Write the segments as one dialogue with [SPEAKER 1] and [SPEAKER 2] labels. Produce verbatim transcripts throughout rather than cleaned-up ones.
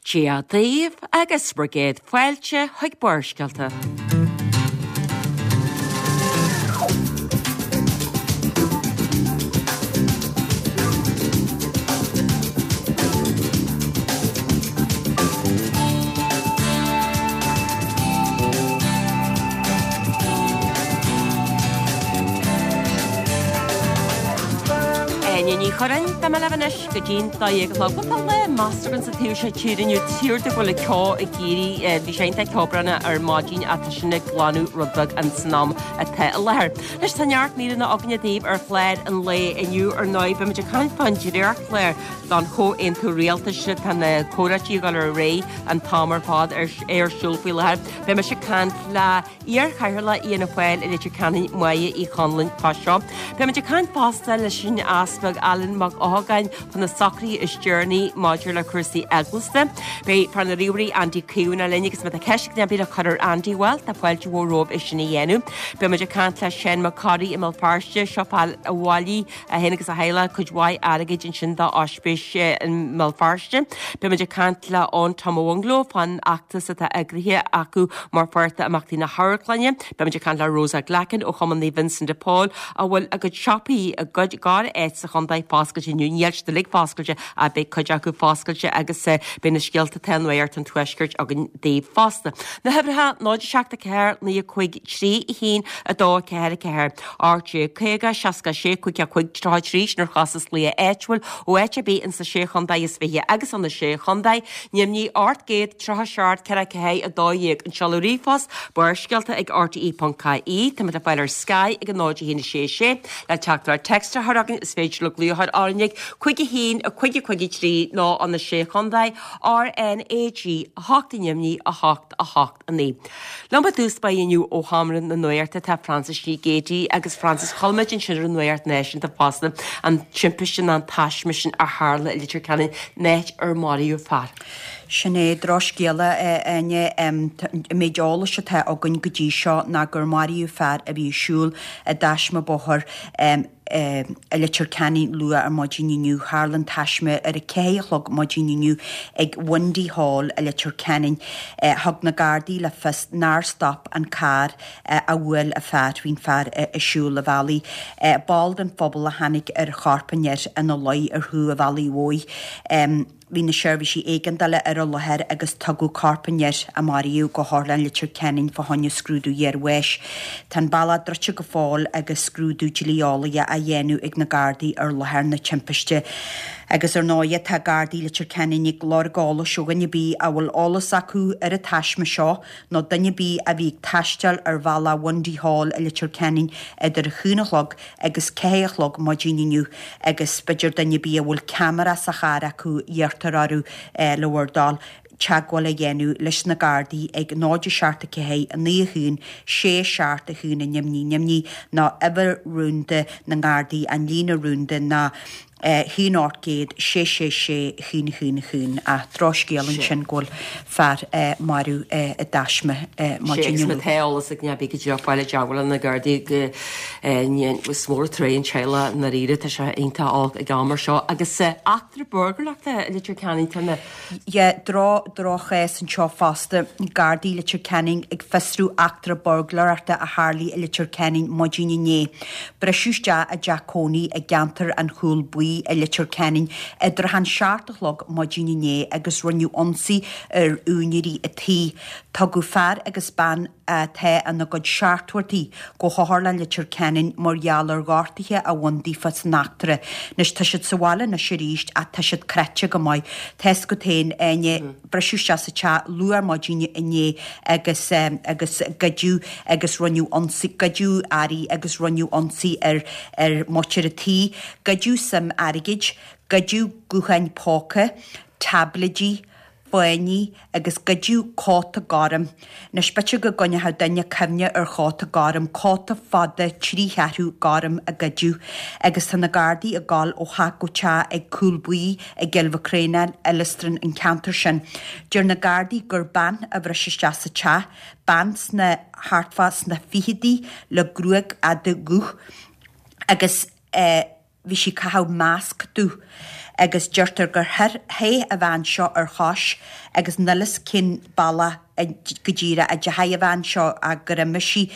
[SPEAKER 1] Dia daoibh agus bhur gcéad fáilte chuig Barrscéalta. Áine Ní Churráin, Tá mé libh anois go dtí'n dó dhéag a chlog. Bhuel tá lá measartha againn sa taobh seo tíre inniu, tír de go bhfuil an ceo ag éirí, bhí sé iontach ceobhránach ar maidin ach tá sin ag glanadh rud beag ins an am atá i láthair. Anois tá neart míreanna againne daoibh ar chlár an lae inniu ar ndóigh beimid ag caint fán dréachtchlár don chomhaontú rialtais tá na comhráití ag dul ar aghaidh an t-am ar fad ar ar siúl faoi láthair. Beidh mise ag caint le iar-chathaoirleach Fhianna Fáil i Leitir Ceanainn Máire Uí Chonluain fá seo. Beimid ag caint fosta leis an Easpag Alan Mac Eochagáin fá na socruithe is deireanaí maidir le cúrsaí eaglasta. Beidh fear na ríomhairí Andy Caomhánach linn agus má tá ceist ag duine ar bith le cur ar Andy bhuel tá fáilte mhór romhaibh é sin a dhéanamh. Beimid ag caint le Seán Mac Corraidh i mBéal Feirste, seo fear a bhailigh é féin agus a theaghlach cuid mhaith airgid ansin do ospís i mBéal Feirste. Beimid ag caint le Eoin Tom Ó Mhunglo fán fheachtas atá eagraithe acu mar pháirt d'imeachtaí na hamharclainne. Beimid ag caint le Rosa Glackin ó Chumann Naomh Vincent de Paul a bhfuil a gcuid siopaí i gcuid gach áit sa chontae foscailte inniu. Níl siad uilig foscailte ach beidh cuid acu foscailte agus beidh na scéalta atá i Nuacht an Tuaiscirt againn daoibh fosta. Na huimhreacha náid a seacht a ceathair naoi a cúig trí a haon a dó a ceathair a ceathair ocht déag caoga seasca a sé cúig a cúig tríocha a trí sin ar chostas glaoch áitiúil ó áit ar bith insa sé chontae is fiche agus ó na sé chontae Nimhní ocht gcéad tríocha seacht ceithre ceathair a dó dhéag. An seoladh ríomhphost Barrscéalta ag R T E ponc I E Tá le fáil ar Sky ag an náid a haon a sé sé le teachtaireacht text a chur chugainn is féidir le glaoch ar R N G cúig a haon a cúig a cúig a trí nó ó na sé chontae R N A G a hocht Nimhní a hocht a hocht a naoi. Liom i dtús báire inniu ó Sheomra na Nuachta tá Francis Ní Géadaigh agus Francis chuala muid ansin ar an Nuacht Náisiúnta fosta an timpiste an taisme sin a tharla i Leitir Ceanainn áit ar maraíodh fear.
[SPEAKER 2] Sin é drochscéala Áine an méid eolais atá againn go dtí seo ná gur maraíodh fear a bhí ag siúl i dtaisme bóthair i Leitir Ceanainn luath ar maidin inniu. Tharla an taisme ar a ceathair a chlog maidin inniu ag Windy Hall i Leitir Ceanainn. Thug na Gardaí le fios nár stop an carr a bhuail an fear bhí an fear ag siúl an bhealaigh. Ball den phobal a tháinig ar chorp an fhir ina luí ar thaobh an bhealaigh mhóir. Bhí na seirbhísí éigeandála ar an láthair agus tugadh corp an fhir a maraíodh go hOtharlann Leitir Ceanainn fá choinne scrúdú iarbháis. Tá an bealach druidte go fóill agus scrúdú dlí-eolaíoch á dhéanamh ag na Gardaí ar láthair na timpiste. Agus ar ndóigh tá Gardaí Leitir Ceanainn ag lorg eolais ó dhuine ar bith a bhfuil eolas acu ar an taisme seo nó duine ar bith a bhí ag taisteal ar bhealach Windy Hall i Leitir Ceanainn idir a haon a chlog agus ceathair a chlog maidin inniu agus b'fhéidir duine ar bith a bhfuil ceamara sa charr acu iarrtar orthu le bhur dtoil teagmháil a dhéanamh leis na Gardaí ag náid a seacht a ceathair a naoi a haon sé seacht a haon a neamhní neamhní nó uimhir rúnda na nGardaí an líne rúnda ná haon ocht gcéad sé sé sé haon haon haon a drochscéal ansin go bhfuil fear marbh i dtaisme maidin
[SPEAKER 1] inniu. Tá eolas ag neamh go dtí fáil i dteagmháil na Gardaí go is mór an trua an teaghlach dáiríre tá sé iontach olc ag am mar seo agus eachtra burglaireachta i Leitir Ceanainn tá na
[SPEAKER 2] Yeah, dro drochchás anseo fosta Gardaí Leitir Ceanainn ag fiosrú eachtra burglaireachta a tharla i Leitir Ceanainn maidin inné. Briseadh isteach i dteach cónaí i gceantar an Chúil Buí i Leitir Ceanainn idir an seacht a chlog maidin inné agus rinneadh ionsaí ar úinéirí an tí. Tugadh fear agus bean atá ina gcuid seachtóidí go hOtharlann Leitir Ceanainn mar gheall ar ghortuithe a bhain daofa san eachtra. Anois tá siad sa bhaile anois arís ach tá siad cráite go maith. Tá go tain Áine briseadh isteach sa teach luath ar maidin inné agus um, agus goideadh agus rinneadh ionsaí goideadh earraí agus rinneadh ionsaí ar ar mhuintir an tí, goideadh suim airgid, goideadh gutháin póca, táibléidí, fáinní agus goideadh cóta gorm. Anois b'fhéidir go gcoinneodh duine cuimhne ar chóta gorm, cóta fada trí cheathrú gorm a goideadh, agus tá na Gardaí ag gabháil ó theach go teach ag Cúl Buí i gCill Mhic Réanáin, Illistrin an ceantar sin. Deir na Gardaí gur bean a bhris isteach sa teach, bean sna thart fá sna fichidí le gruaig fhada dhubh agus eh, bhí sí ag caitheamh masc dubh. agus deirtear gur theith an bhean seo ar chois agus níl fhios cén bealach go díreach a dteachaigh an bhean seo ach gur imigh sí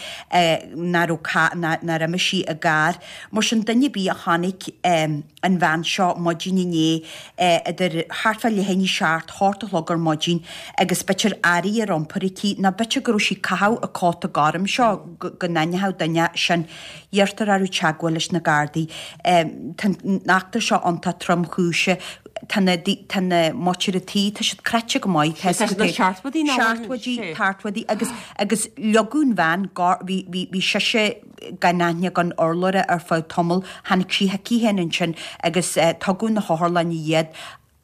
[SPEAKER 2] nach raibh nár imigh sí i gcarr. Mar sin duine ar bith a chonaic an bhean seo maidin inné idir thart fá leath i ndiaidh a seacht, hocht a chlog ar maidin agus b'fhéidir earraí ar iompar aici nó b'fhéidir go raibh sí ag caitheamh an cóta gorm seo go n-aithneodh duine sin. Iarrtar orthu teagmháil leis na Gardaí. Tá an eachtra seo iontach tromchúiseach. Tá na tá na muintir an tí, tá siad cráite go maith. Tá siad
[SPEAKER 1] na seachtmhaidí ná
[SPEAKER 2] Seachtmhaidí, tartmhaidí agus agus leogadh an bhean bhí bhí bhí sise gan aithne gan urlabhra ar feadh tamaill, tháinig sí chuici féin ansin agus tugadh na hotharlainne iad.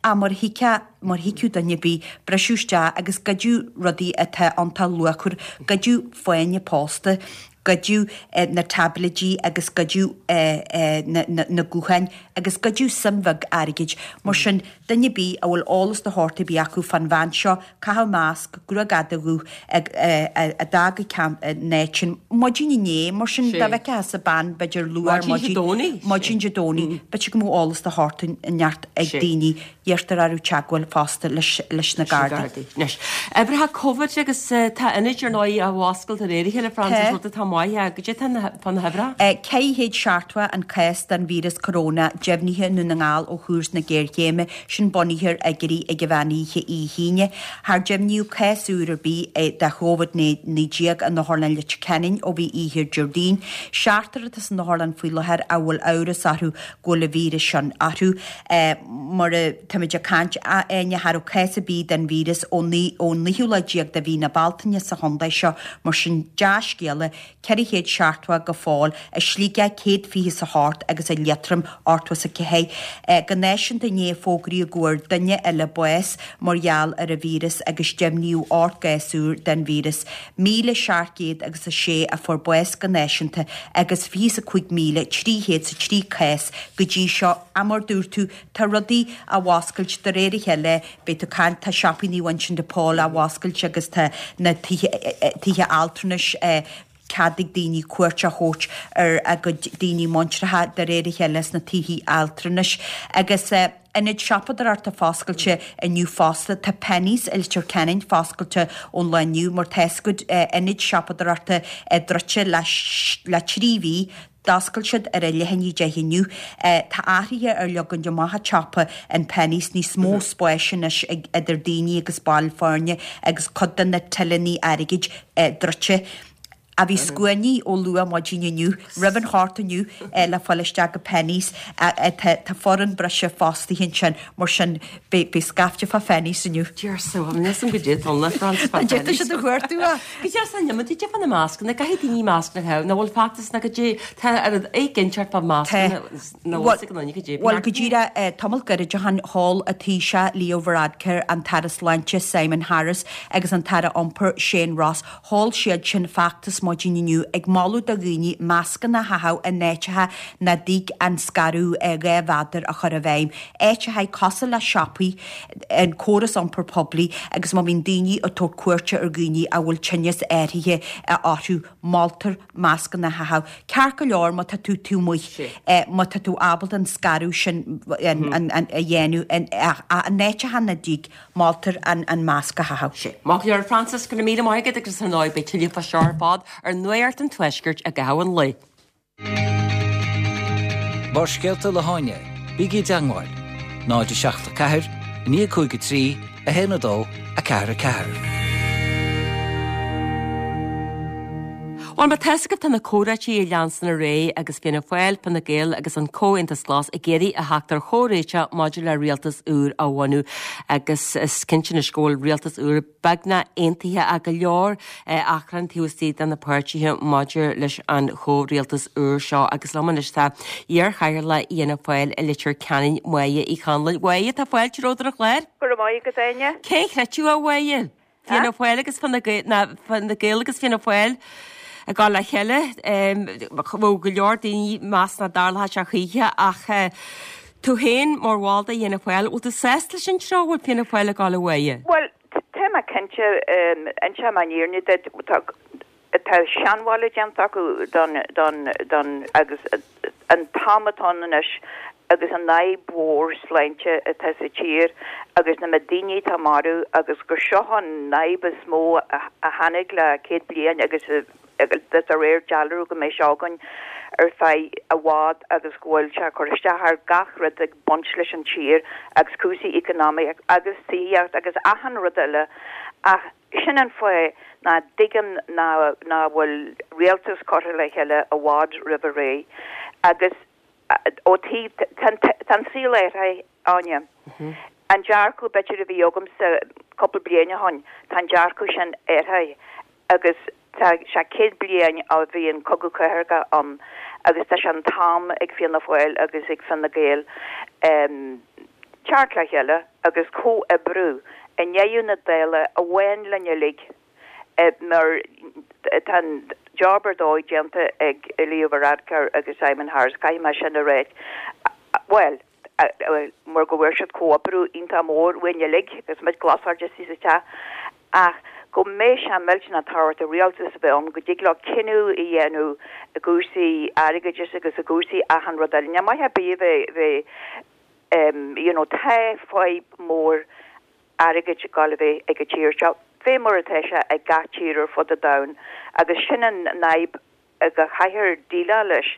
[SPEAKER 2] Ach mar thuigfeá, mar thuigfeadh duine ar bith, briseadh isteach agus goideadh rudaí atá iontach luachmhar, goideadh fáinne pósta, goideadh na táibléidí agus goideadh na gutháin agus goideadh suim bheag airgid. Mar sin, duine ar bith a bhfuil eolas de shórt ar bith acu fán bhean seo, caitheamh masc, gruag fhada dhubh, a d'fhág an áit sin maidin inné, mar sin, dá bhfeicfeá bean, b'fhéidir luath ar maidin, maidin Dé Domhnaigh, b'fhéidir go mbeadh eolas de shórt inteacht ag daoine. Iarrtar orthu teagmháil fosta leis na Gardaí.
[SPEAKER 1] Anois, uimhreacha Covid agus tá ionaid ar ndóigh á bhfoscailt de réir a chéile, Frances, rud atá maith. Goidé tá fá na huimhreacha?
[SPEAKER 2] Ceithre chéad seachtó an cás den víreas coróna deimhnithe i nDún na nGall ó thús na géarchéime, sin bunaithe ar fhigiúirí ag an mheán oíche Dé hAoine. Char deimhníodh cás úr ar bith de Chóvid naoi déag in Otharlann Leitir Ceanainn ó bhí oíche Déardaoin. Seachtar atá san otharlann faoi láthair a bhfuil amhras orthu go bhfuil an víreas sin orthu. Mar a táimid ag caint, a Áine, cha raibh cás ar bith den víreas ón naoú lá déag de mhí na Bealtaine sa chontae seo, mar sin dea-scéala, ceithre chéad seachtó go fóill, i Sligeach céad fiche is a hocht agus i Liatroim ochtó is a ceathair. Go náisiúnta inné fógraíodh go bhfuair duine eile bás mar gheall ar an víreas agus deimhníodh ocht gcás úr den víreas. Míle seacht gcéad agus a sé a fuair bás go náisiúnta agus fiche is a cúig míle trí chéad is a trí cás go dtí seo. Ach mar dúirt tú, tá rudaí á bhfoscailt de réir a chéile, beidh tú ag caint, tá siopaí Naomh Uinseann de Pól á bhfoscailt agus tá na tithe, tithe altranais, cead ag daoine cuairt a thabhairt ar a gcuid daoine muinteartha de réir a chéile sna tithe altranais. Agus ionaid siopadóireachta foscailte inniu fosta. Tá Penneys i Leitir Ceanainn foscailte ón lá inniu mar tá a fhios agat ionaid siopadóireachta druidte le trí mhí. D'oscail siad ar a leath i ndiaidh a deich inniu. Tá athruithe ar leagan amach an tsiopa in Penneys, níos mó spáis anois idir daoine agus baill foirne agus cuid de na tilleanna airgid druidte. Ach bhí scuainí ó luath maidin inniu roimh an hocht inniu le fáil isteach go Penneys. Tá foireann breise fostaithe ansin, mar sin beidh scaifte fá Phenneys inniu.
[SPEAKER 1] Dear so, níl a fhios agam goidé atá ann le Frances fá
[SPEAKER 2] Penneys. D'fhéadfadh siad a chuartú é.
[SPEAKER 1] Goidé as an iomad, goidé fá na mascanna, caithfidh daoine mascanna a chaitheamh, nach bhfuil feachtas ná goidé, tá ar an éiginnteacht fá mascanna nach bhfuil ag an duine goidé.
[SPEAKER 2] Bhuel, go díreach, tamall gairid ó shin, sheol an Taoiseach Leo Varadkar, an tAire Sláinte Simon Harris agus an tAire Iompair Shane Ross, Sheol siad sin feachtas maidin inniu ag moladh do dhaoine mascanna a chaitheamh in áiteacha nach dtig an scaradh dhá mhéadar a chur i bhfeidhm, áiteacha cosúil le siopaí, an córas iompair poiblí agus má bhíonn daoine ag tabhairt cuairte ar dhaoine a bhfuil tinneas áirithe orthu, moltar mascanna a chaitheamh. Ceart go leor má tá tú taobh amuigh, má tá tú ábalta an scaradh sin a dhéanamh in áiteacha nach dtig. Moltar an masc a chaitheamh.
[SPEAKER 1] Sea. Maith go leor, Frances, go raibh míle maith agat agus ar ndóigh beidh tuilleadh fá seo ar fad ar Nuacht an Tuaiscirt i gcaitheamh an lae.
[SPEAKER 3] Barrscéalta le hÁine, bígí i dteangmháil, náid a seacht a ceathair, a naoi cúig a trí, a haon a dó, a ceathair a ceathair.
[SPEAKER 1] Bhuel, má tá a fhios agaibh tá na comhráití ag leanstan ar aghaidh agus Fianna Fáil, Fine Gael agus an Comhaontas Glas ag iarraidh a theacht ar chomhréiteach maidir le rialtas úr a bhunú agus is cinnte anois go bhfuil rialtas úr beagnach aontaithe ach go leor achrann taobh istigh de na páirtithe maidir leis an chomhrialtas úr seo agus liom anois tá iar-chathaoirleach Fhianna Fáil i Leitir Ceanainn, Máire Uí Chonluain. Máire, tá fáilte romhat ar an chlár.
[SPEAKER 4] Go raibh maith agat, a Áine.
[SPEAKER 1] Cé a chreidfeadh, a Mháire? Fianna Fáil agus Fine Gael, ná Fine Gael agus Fianna Fáil ag dul le chéile. Bheadh go leor daoine ag meas nach dtarlódh sé choíche ach tú féin mar bhall de Fhianna Fáil, bhfuil tú sásta leis an treo a bhfuil Fianna Fáil ag dul, a Mháire?
[SPEAKER 4] Bhuel, tá mé cinnte, inseoidh mé an fhírinne duit, tá tá seanmholadh déanta acu don, don, don, agus an t-am atá ann anois agus an fhadhb mhór sláinte atá sa tír agus na daoine atá marbh agus gur seo an fhadhb is mó a tháinig le céad bliain agus de réir dealraimh go mbeidh sé againn ar feadh i bhfad agus go bhfuil sé cur isteach ar gach rud ag baint leis an tír agus cúrsaí economic agus tithíocht agus achan rud eile ach sin an fáth ná dtuigim ná ná bhfuil rialtas curtha le chéile i bhfad roimh ré agus ó taobh tá an saol athraithe Áine. An dearcadh b'fhéidir a bhí agamsa cúpla bliain ó shin tá an dearcadh sin athraithe agus tá sé céad bliain ó bhí an cogadh cathartha ann agus tá sé an t-am ag Fianna Fáil agus ag Fine Gael um, teacht le chéile agus comhoibriú i ndeireadh na dála amháin linn uilig mar tá job ar dóigh déanta ag Leo Varadkar agus Simon Harris caithfidh mé sin a rá. Well, mar go bhfuair siad comhoibriú iontach mór uainn uilig agus muid glasáide sa teach ach go mbeidh sé millteanach tábhachtach rialtas a bheith ann go dtig leo cinneadh a dhéanamh i gcúrsaí airgeadais agus i gcúrsaí achan rud eile. Ní maith ar bith bheith bheith you know, tá fadhb mór airgid ag bheith ag an tír seo. Fé mar atá sé ag gach tír ar fud an domhain agus sin an fhadhb go gcaithfear déileáil leis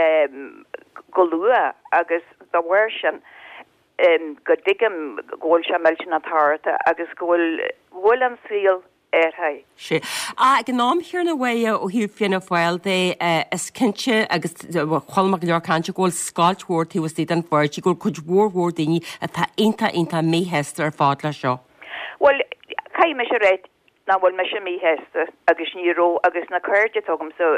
[SPEAKER 4] um, go luath agus dá bharr sin um, go dtuigim go bhfuil sé millteanach tábhachtach agus go bhfuil bhfuil an saol athraithe.
[SPEAKER 1] Sé. Ag an am céanna ó thaobh Fianna Fáil de is cinnte agus chuala mé go leor cainte go bhfuil scoilt mhór taobh istigh den pháirtí go bhfuil cuid mhór mhór daoine atá iontach iontach míshásta ar fad le seo.
[SPEAKER 4] Well, caithfidh mise rá nach bhfuil mise míshásta agus ní raibh agus na cairde atá agamsa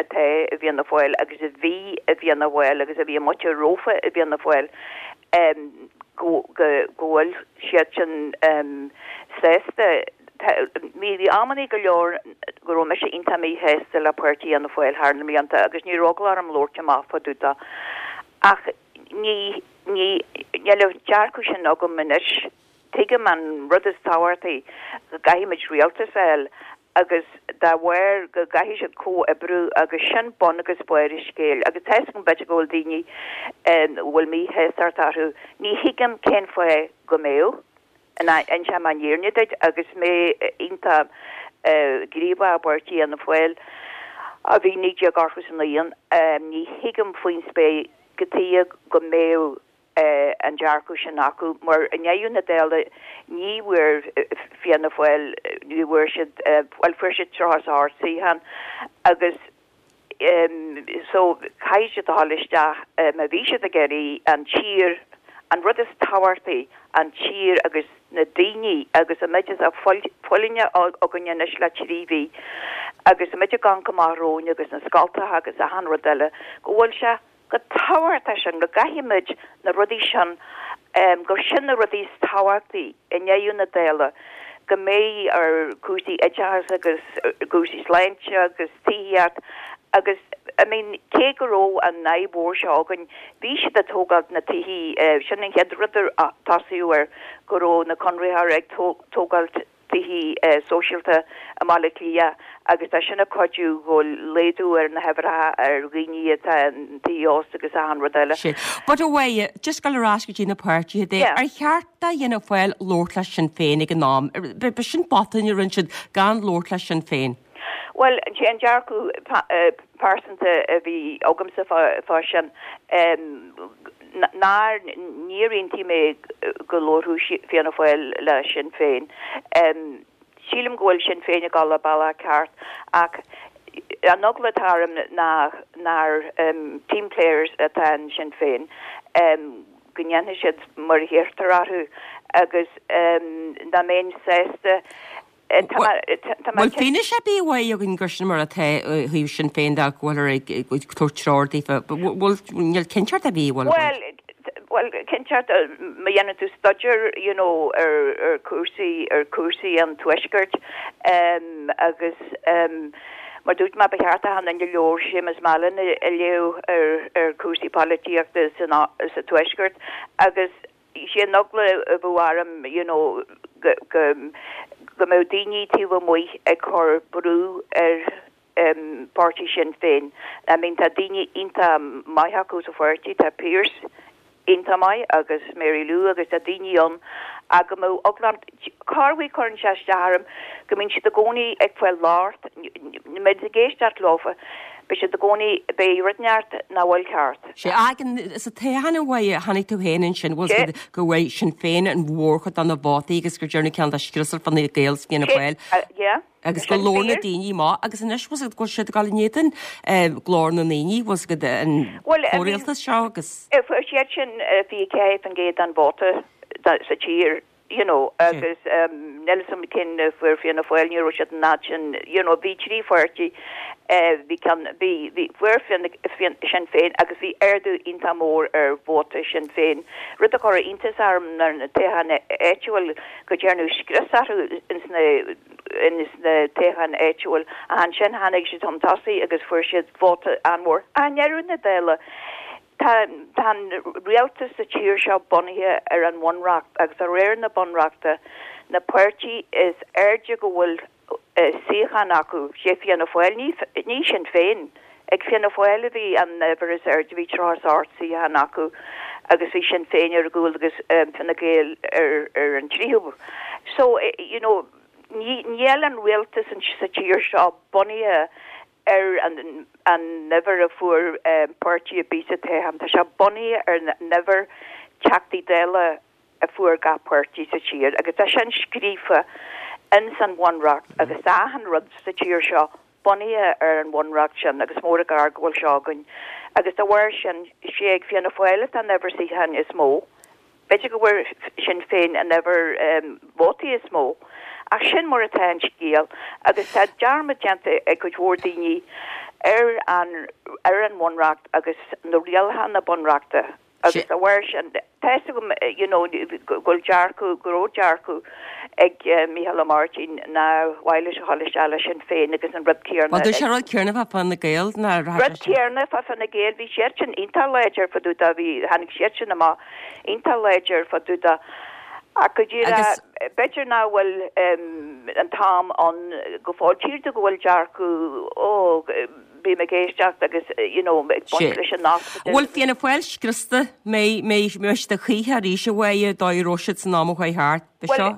[SPEAKER 4] atá i bhFianna Fáil agus a bhí i bhFianna Fáil agus a bhí muite rófa i bhFianna Fáil go bhfuil siad sin sásta bhí amannaí go leor go raibh mise iontach míshásta le páirtí Fhianna Fáil thar na blianta agus ní raibh eagla orm labhairt amach fá dtaobh de. Ach ní ní níl an dearcadh sin agam anois tuigim an rud is tábhachtaí go gcaithfimid rialtas a fháil agus dá bharr go gcaithfidh siad comhoibriú agus sin bun agus barr an scéil agus tá an b'fhéidir go bhfuil daoine bhfuil míshástacht orthu ní thuigim cén fáth go mbeadh inseoidh mé an fhírinne duit agus mé iontach gníomhach i bpáirtí Fhianna Fáil a bhí naoi déag ochtó a naoi ní thuigim faoin spéir cad chuige go mbeadh an dearcadh sin acu mar i ndeireadh na dála ní bhfuair Fianna Fáil ní bhfuair siad well fuair siad tríocha a hocht suíochán agus um, so caithfidh siad dul isteach má bhí siad ag iarraidh an tír an rud is tábhachtaí an tír agus na daoine agus an méid is a fulaingt againn anois le trí mhí agus an méid a gan go maith agus na scoltacha agus achan rud eile go bhfuil sé go tábhachtach sin go gcaithfimid na rudaí sin um, gur sin na rudaí is tábhachtaí i ndeireadh na dála go mbeidh ar cúrsaí oideachas agus cúrsaí sláinte agus tithíocht agus I mean cé go raibh an fhadhb mhór seo againn bhí siad ag tógáil na tithe uh, sin an chéad rud tosaíodh air go raibh na conraitheoirí ag tógáil tithe uh, sóisialta i mBaile Átha Cliath agus tá sin ag cuidiú go laghdú ar na huimhreacha ar dhaoine atá tithe ósta agus achan rud eile.
[SPEAKER 1] But away just go ar ais go dtí na páirtithe de ar cheart do Fhianna Fáil labhairt le Sinn Féin ag an am, Ba sin botún a rinne siad gan labhairt le Sinn Féin.
[SPEAKER 4] Well an dearcadh pearsanta a bhí agamsa fá sin nár níor aontaigh mé go labhródh Fianna Fáil le Sinn Féin. Sílim go bhfuil Sinn Féin ag dul an bealach ceart ach an eagla atá orm ná nár um, team players atá in Sinn Féin. Um, go ndéanfaidh siad mar a hiarrtar orthu agus um, ná mbeinn sásta
[SPEAKER 1] Bhfuil fianaise ar bith againn gur sin mar atá thaobh Sinn Féin de go bhfuil ag tabhairt treoir daofa bhfuil níl cinnteacht ar bith bhfuil
[SPEAKER 4] Well well cinnteacht má dhéanann tú staidéar you know ar ar cúrsaí ar cúrsaí an tuaiscirt um, agus um, mar dúirt mé ba cheart an an leabhar Seamus Mallon a léamh ar ar cúrsaí polaitíochta sa tuaisceart agus sé an eagla a bhí orm you know go go go mbeadh daoine taobh amuigh ag cur brú ar páirtí Sinn Féin. I mean tá daoine iontach maith acu sa pháirtí, tá Pearse iontach maith agus Mary Lou agus tá daoine ann ach go mbeadh eagla corruair cuireann sé isteach orm go mbíonn siad i gcónaí ag fáil locht, mbeidh ag éisteacht leofa, beidh siad i gcónaí, beidh rud inteacht nach bhfuil ceart.
[SPEAKER 1] Sé ag sa toghchán a mhaígh tháinig tú féin ansin bhfuil siad go bhfuil Sinn Féin an mhórchuid de na vótaí agus gur deireanach ceann de scriosar Fine Gael 's Fianna Fáil.
[SPEAKER 4] Yeah.
[SPEAKER 1] Agus go leor na daoine maith agus anois bhfuil siad go bhfuil siad ag dul in éadan glór na ndaoine bhfuil siad an comhrialtas seo agus.
[SPEAKER 4] Fuair siad sin fiche ceathair faoin gcéad den vóta sa tír you know agus níl a fhios agam cén fuair Fianna Fáil ní raibh siad an fhad sin you know bhí trí pháirtí bhí ceann bhí bhí fuair Sinn Féin agus bhí ardú iontach mór ar vóta Sinn Féin rud a chuir iontas orm nuair na toghcháin áitiúil go ndearnadh scrios orthu ins na ins na toghcháin áitiúil ansin tháinig siad chun tosaigh agus fuair siad vóta an-mhór. I ndeireadh na dála Tá tá an rialtas sa tír seo bunaithe ar an bhunreacht agus de réir na bunreachta na páirtí is airde go bhfuil suíochán acu, sé Fianna Fáil, ní ní Sinn Féin. Ag Fianna Fáil a bhí an uimhir is airde, bhí tríocha is ocht suíochán acu agus bhí Sinn Féin ar a gcúl agus Fine Gael ar ar an tríú. So you know ní níl an rialtas sa tír seo bunaithe ar an an uimhir a fuair páirtí ar bith sa toghchán. Tá sé bunaithe ar an uimhir Teachtaí Dála a fuair gach páirtí sa tír agus tá sin scríofa ins an bhunreacht agus tá achan rud sa tír seo bunaithe ar an bhunreacht sin agus mór an gar go bhfuil seo againn. Agus dá bharr sin sé ag Fianna Fáil atá an uimhir suíochán is mó. B'fhéidir go bhfuair Sinn Féin an uimhir vótaí is mó, ach sin mar atá an scéal agus tá dearmad déanta ag cuid mhór daoine ar an ar an bhunreacht agus na rialacha na bunreachta agus dá bharr sin tá fhios agam you know go bhfuil dearcadh go raibh dearcadh ag Micheál Ó Máirtín nár mhaith leis a dhul isteach le Sinn Féin agus an rud céanna
[SPEAKER 1] Bhuel dúirt sé rud céanna fá Fine Gael nár
[SPEAKER 4] Rud céanna fá Fine Gael bhí siad sin iontach láidir fá dtaobh de bhí tháinig siad sin amach iontach láidir fá dtaobh de ach go díreach b'fhéidir nach bhfuil an t-am ann go fóill. Tchítear go bhfuil dearcadh ó bím ag éisteacht agus you know ag baint leis an nasc.
[SPEAKER 1] Bhfuil Fianna Fáil scriosta mbeidh mbeidh mbeidh siad choíche arís a mhaígh dóigh a raibh siad san am a chuaigh thart. Bhí seo?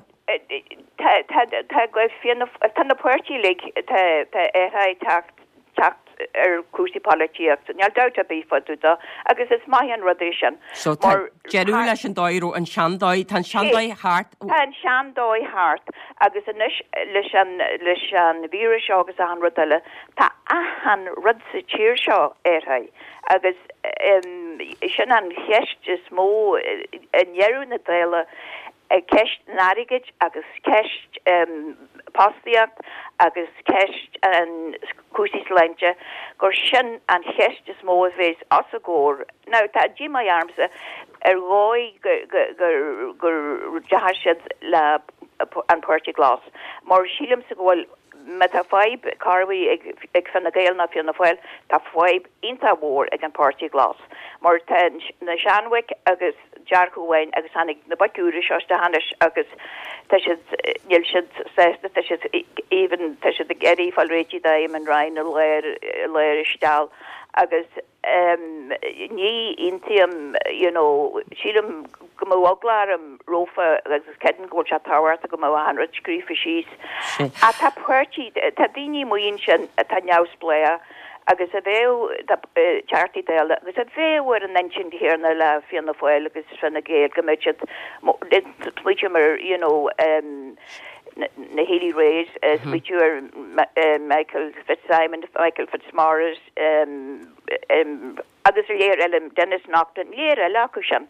[SPEAKER 4] Tá tá tá go Fianna tá na páirtí uilig tá tá athrú ag teacht teacht ar chúrsaí polaitíochta. Níl dabht ar bith fá dtaobh de agus is maith an rud é sin.
[SPEAKER 1] So tá deireadh leis an dóigh a raibh an seandóigh, tá an seandóigh thart.
[SPEAKER 4] Tá an seandóigh thart agus anois leis an leis an víreas seo agus achan rud eile, tá achan rud sa tír seo athraithe agus sin an cheist is mó i ndeireadh na dála ceist an airgid agus ceist fostaíocht agus ceist an cúrsaí sláinte gur sin an cheist is mó a bheas os a gcomhair. Now tá díomá ormsa ar dhóigh gur gur deachaigh siad le an Páirtí Glas mar sílimse go bhfuil má tá fadhb corruair ag ag Fine Gael ná Fianna Fáil tá fadhb iontach mhór ag an Páirtí Glas mar tá na seanbhoic agus dearcadh amháin agus tháinig na boic úra seo isteach anois agus tá siad níl siad sásta tá siad even tá siad ag iarraidh fáil réitithe d'Eamon Ryan i lár i lár isteach agus ní aontaím you know sílim go mbeadh eagla orm rófa agus creidim go bhfuil sé tábhachtach go mbeadh achan rud scríofa síos. Ach tá páirtí tá daoine amuigh ansin atá neamhspleách agus a bheadh Teachtaí Dála agus a bheadh ar an intinn chéanna le Fianna Fáil agus Fine Gael go mbeadh siad smaoitiú mar you know na Healy-Raes, smaoitiú ar Michael Fitzsimon, Michael Fitzmaurice agus a léir eile Denis Naughten, léir eile acu sin,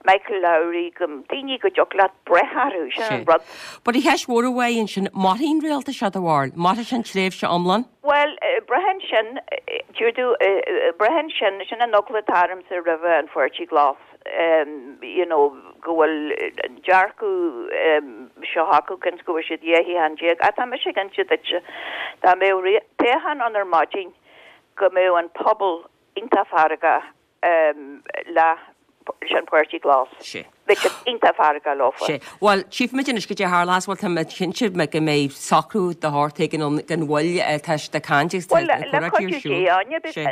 [SPEAKER 4] Michael Lowry, go daoine go dtiocfadh leat breith orthu, sin an rud.
[SPEAKER 1] But an cheist mhór a bheidh ansin, mairfidh an rialtas seo do bharúil? Mairfidh sé an tréimhse iomlán?
[SPEAKER 4] Bhuel, braitheann sin, dúirt braitheann sin, sin an eagla atá ormsa roimhe an Pháirtí Glas, you know, go bhfuil dearcadh seo acu cionn go bhfuil siad dhá shuíochán déag. Ach tá mise ag inse duitse, dá mbeadh toghchán ann ar maidin, go mbeadh an pobal iontach feargach le leis an Páirtí Glas.
[SPEAKER 1] Sé.
[SPEAKER 4] Bheadh siad iontach feargach leofa.
[SPEAKER 1] Sé. Bhuel, tchífimid anois goidé a tharlós, bhuel tá mé cinnte go mbeidh socrú de shórt éigin ann gan mhoill, tá siad ag caint agus tá
[SPEAKER 4] Bhuel,
[SPEAKER 1] na
[SPEAKER 4] le
[SPEAKER 1] comhráití ar
[SPEAKER 4] cuidiú
[SPEAKER 1] siúl.
[SPEAKER 4] Dé, Áine,
[SPEAKER 1] Sé.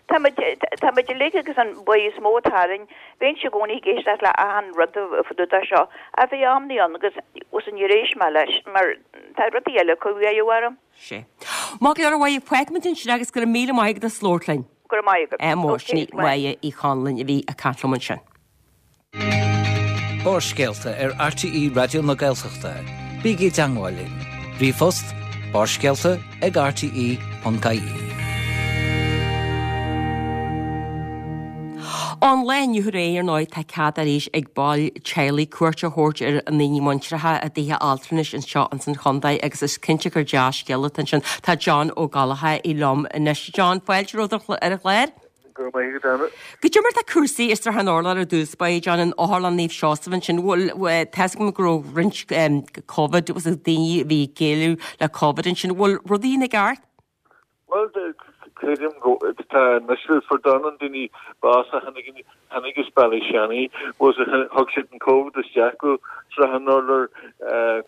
[SPEAKER 4] tá muid tá muid uilig agus an buí is mó atá orainn, bheinnse i gcónaí ag éisteacht le achan rud fá dtaobh de seo, ach bhí amannaí ann agus os an níor éist mé leis mar tá rudaí eile cumha orm.
[SPEAKER 1] Sé. Maith go leor a Mháire, fágfaimid ansin agus go raibh míle maith agat as labhairt linn.
[SPEAKER 4] Go raibh maith agat.
[SPEAKER 1] Mór, sin í
[SPEAKER 4] Okay,
[SPEAKER 1] Máire Uí Chonluain a bhí ag caint liom ansin.
[SPEAKER 3] Barrscéalta ar RTÉ Raidió na Gaeltachta. Bígí i dteagmháil linn. Ríomhphost barrscéalta ag rte ponc ie.
[SPEAKER 1] Ón lá inniu ar ndóigh tá cead arís ag baill teaghlaigh cuairt a thabhairt ar a ndaoine muinteartha i dtithe altranais anseo ins an chontae agus is cinnte gur dea-scéal atá ansin. Tá John Ó Gallchóir liom anois. John, fáilte romhat ar an chlár.
[SPEAKER 5] Go raibh maith agat, Anna.
[SPEAKER 1] Goidé mar tá cúrsaí i Srath an Urláir ar dtús báire, John, in Otharlann Naomh Seosamh ansin. Bhfuil tá a fhios agam go raibh roinnt Covid agus daoine a bhí ag déileáil le Covid ansin. Bhfuil rudaí ina gceart?
[SPEAKER 5] Bhuel, creidim go tá anois fuair dornán daoine bás a tháinig tháinig as Ballyshannon was thug siad an Covid isteach go Srath an Urláir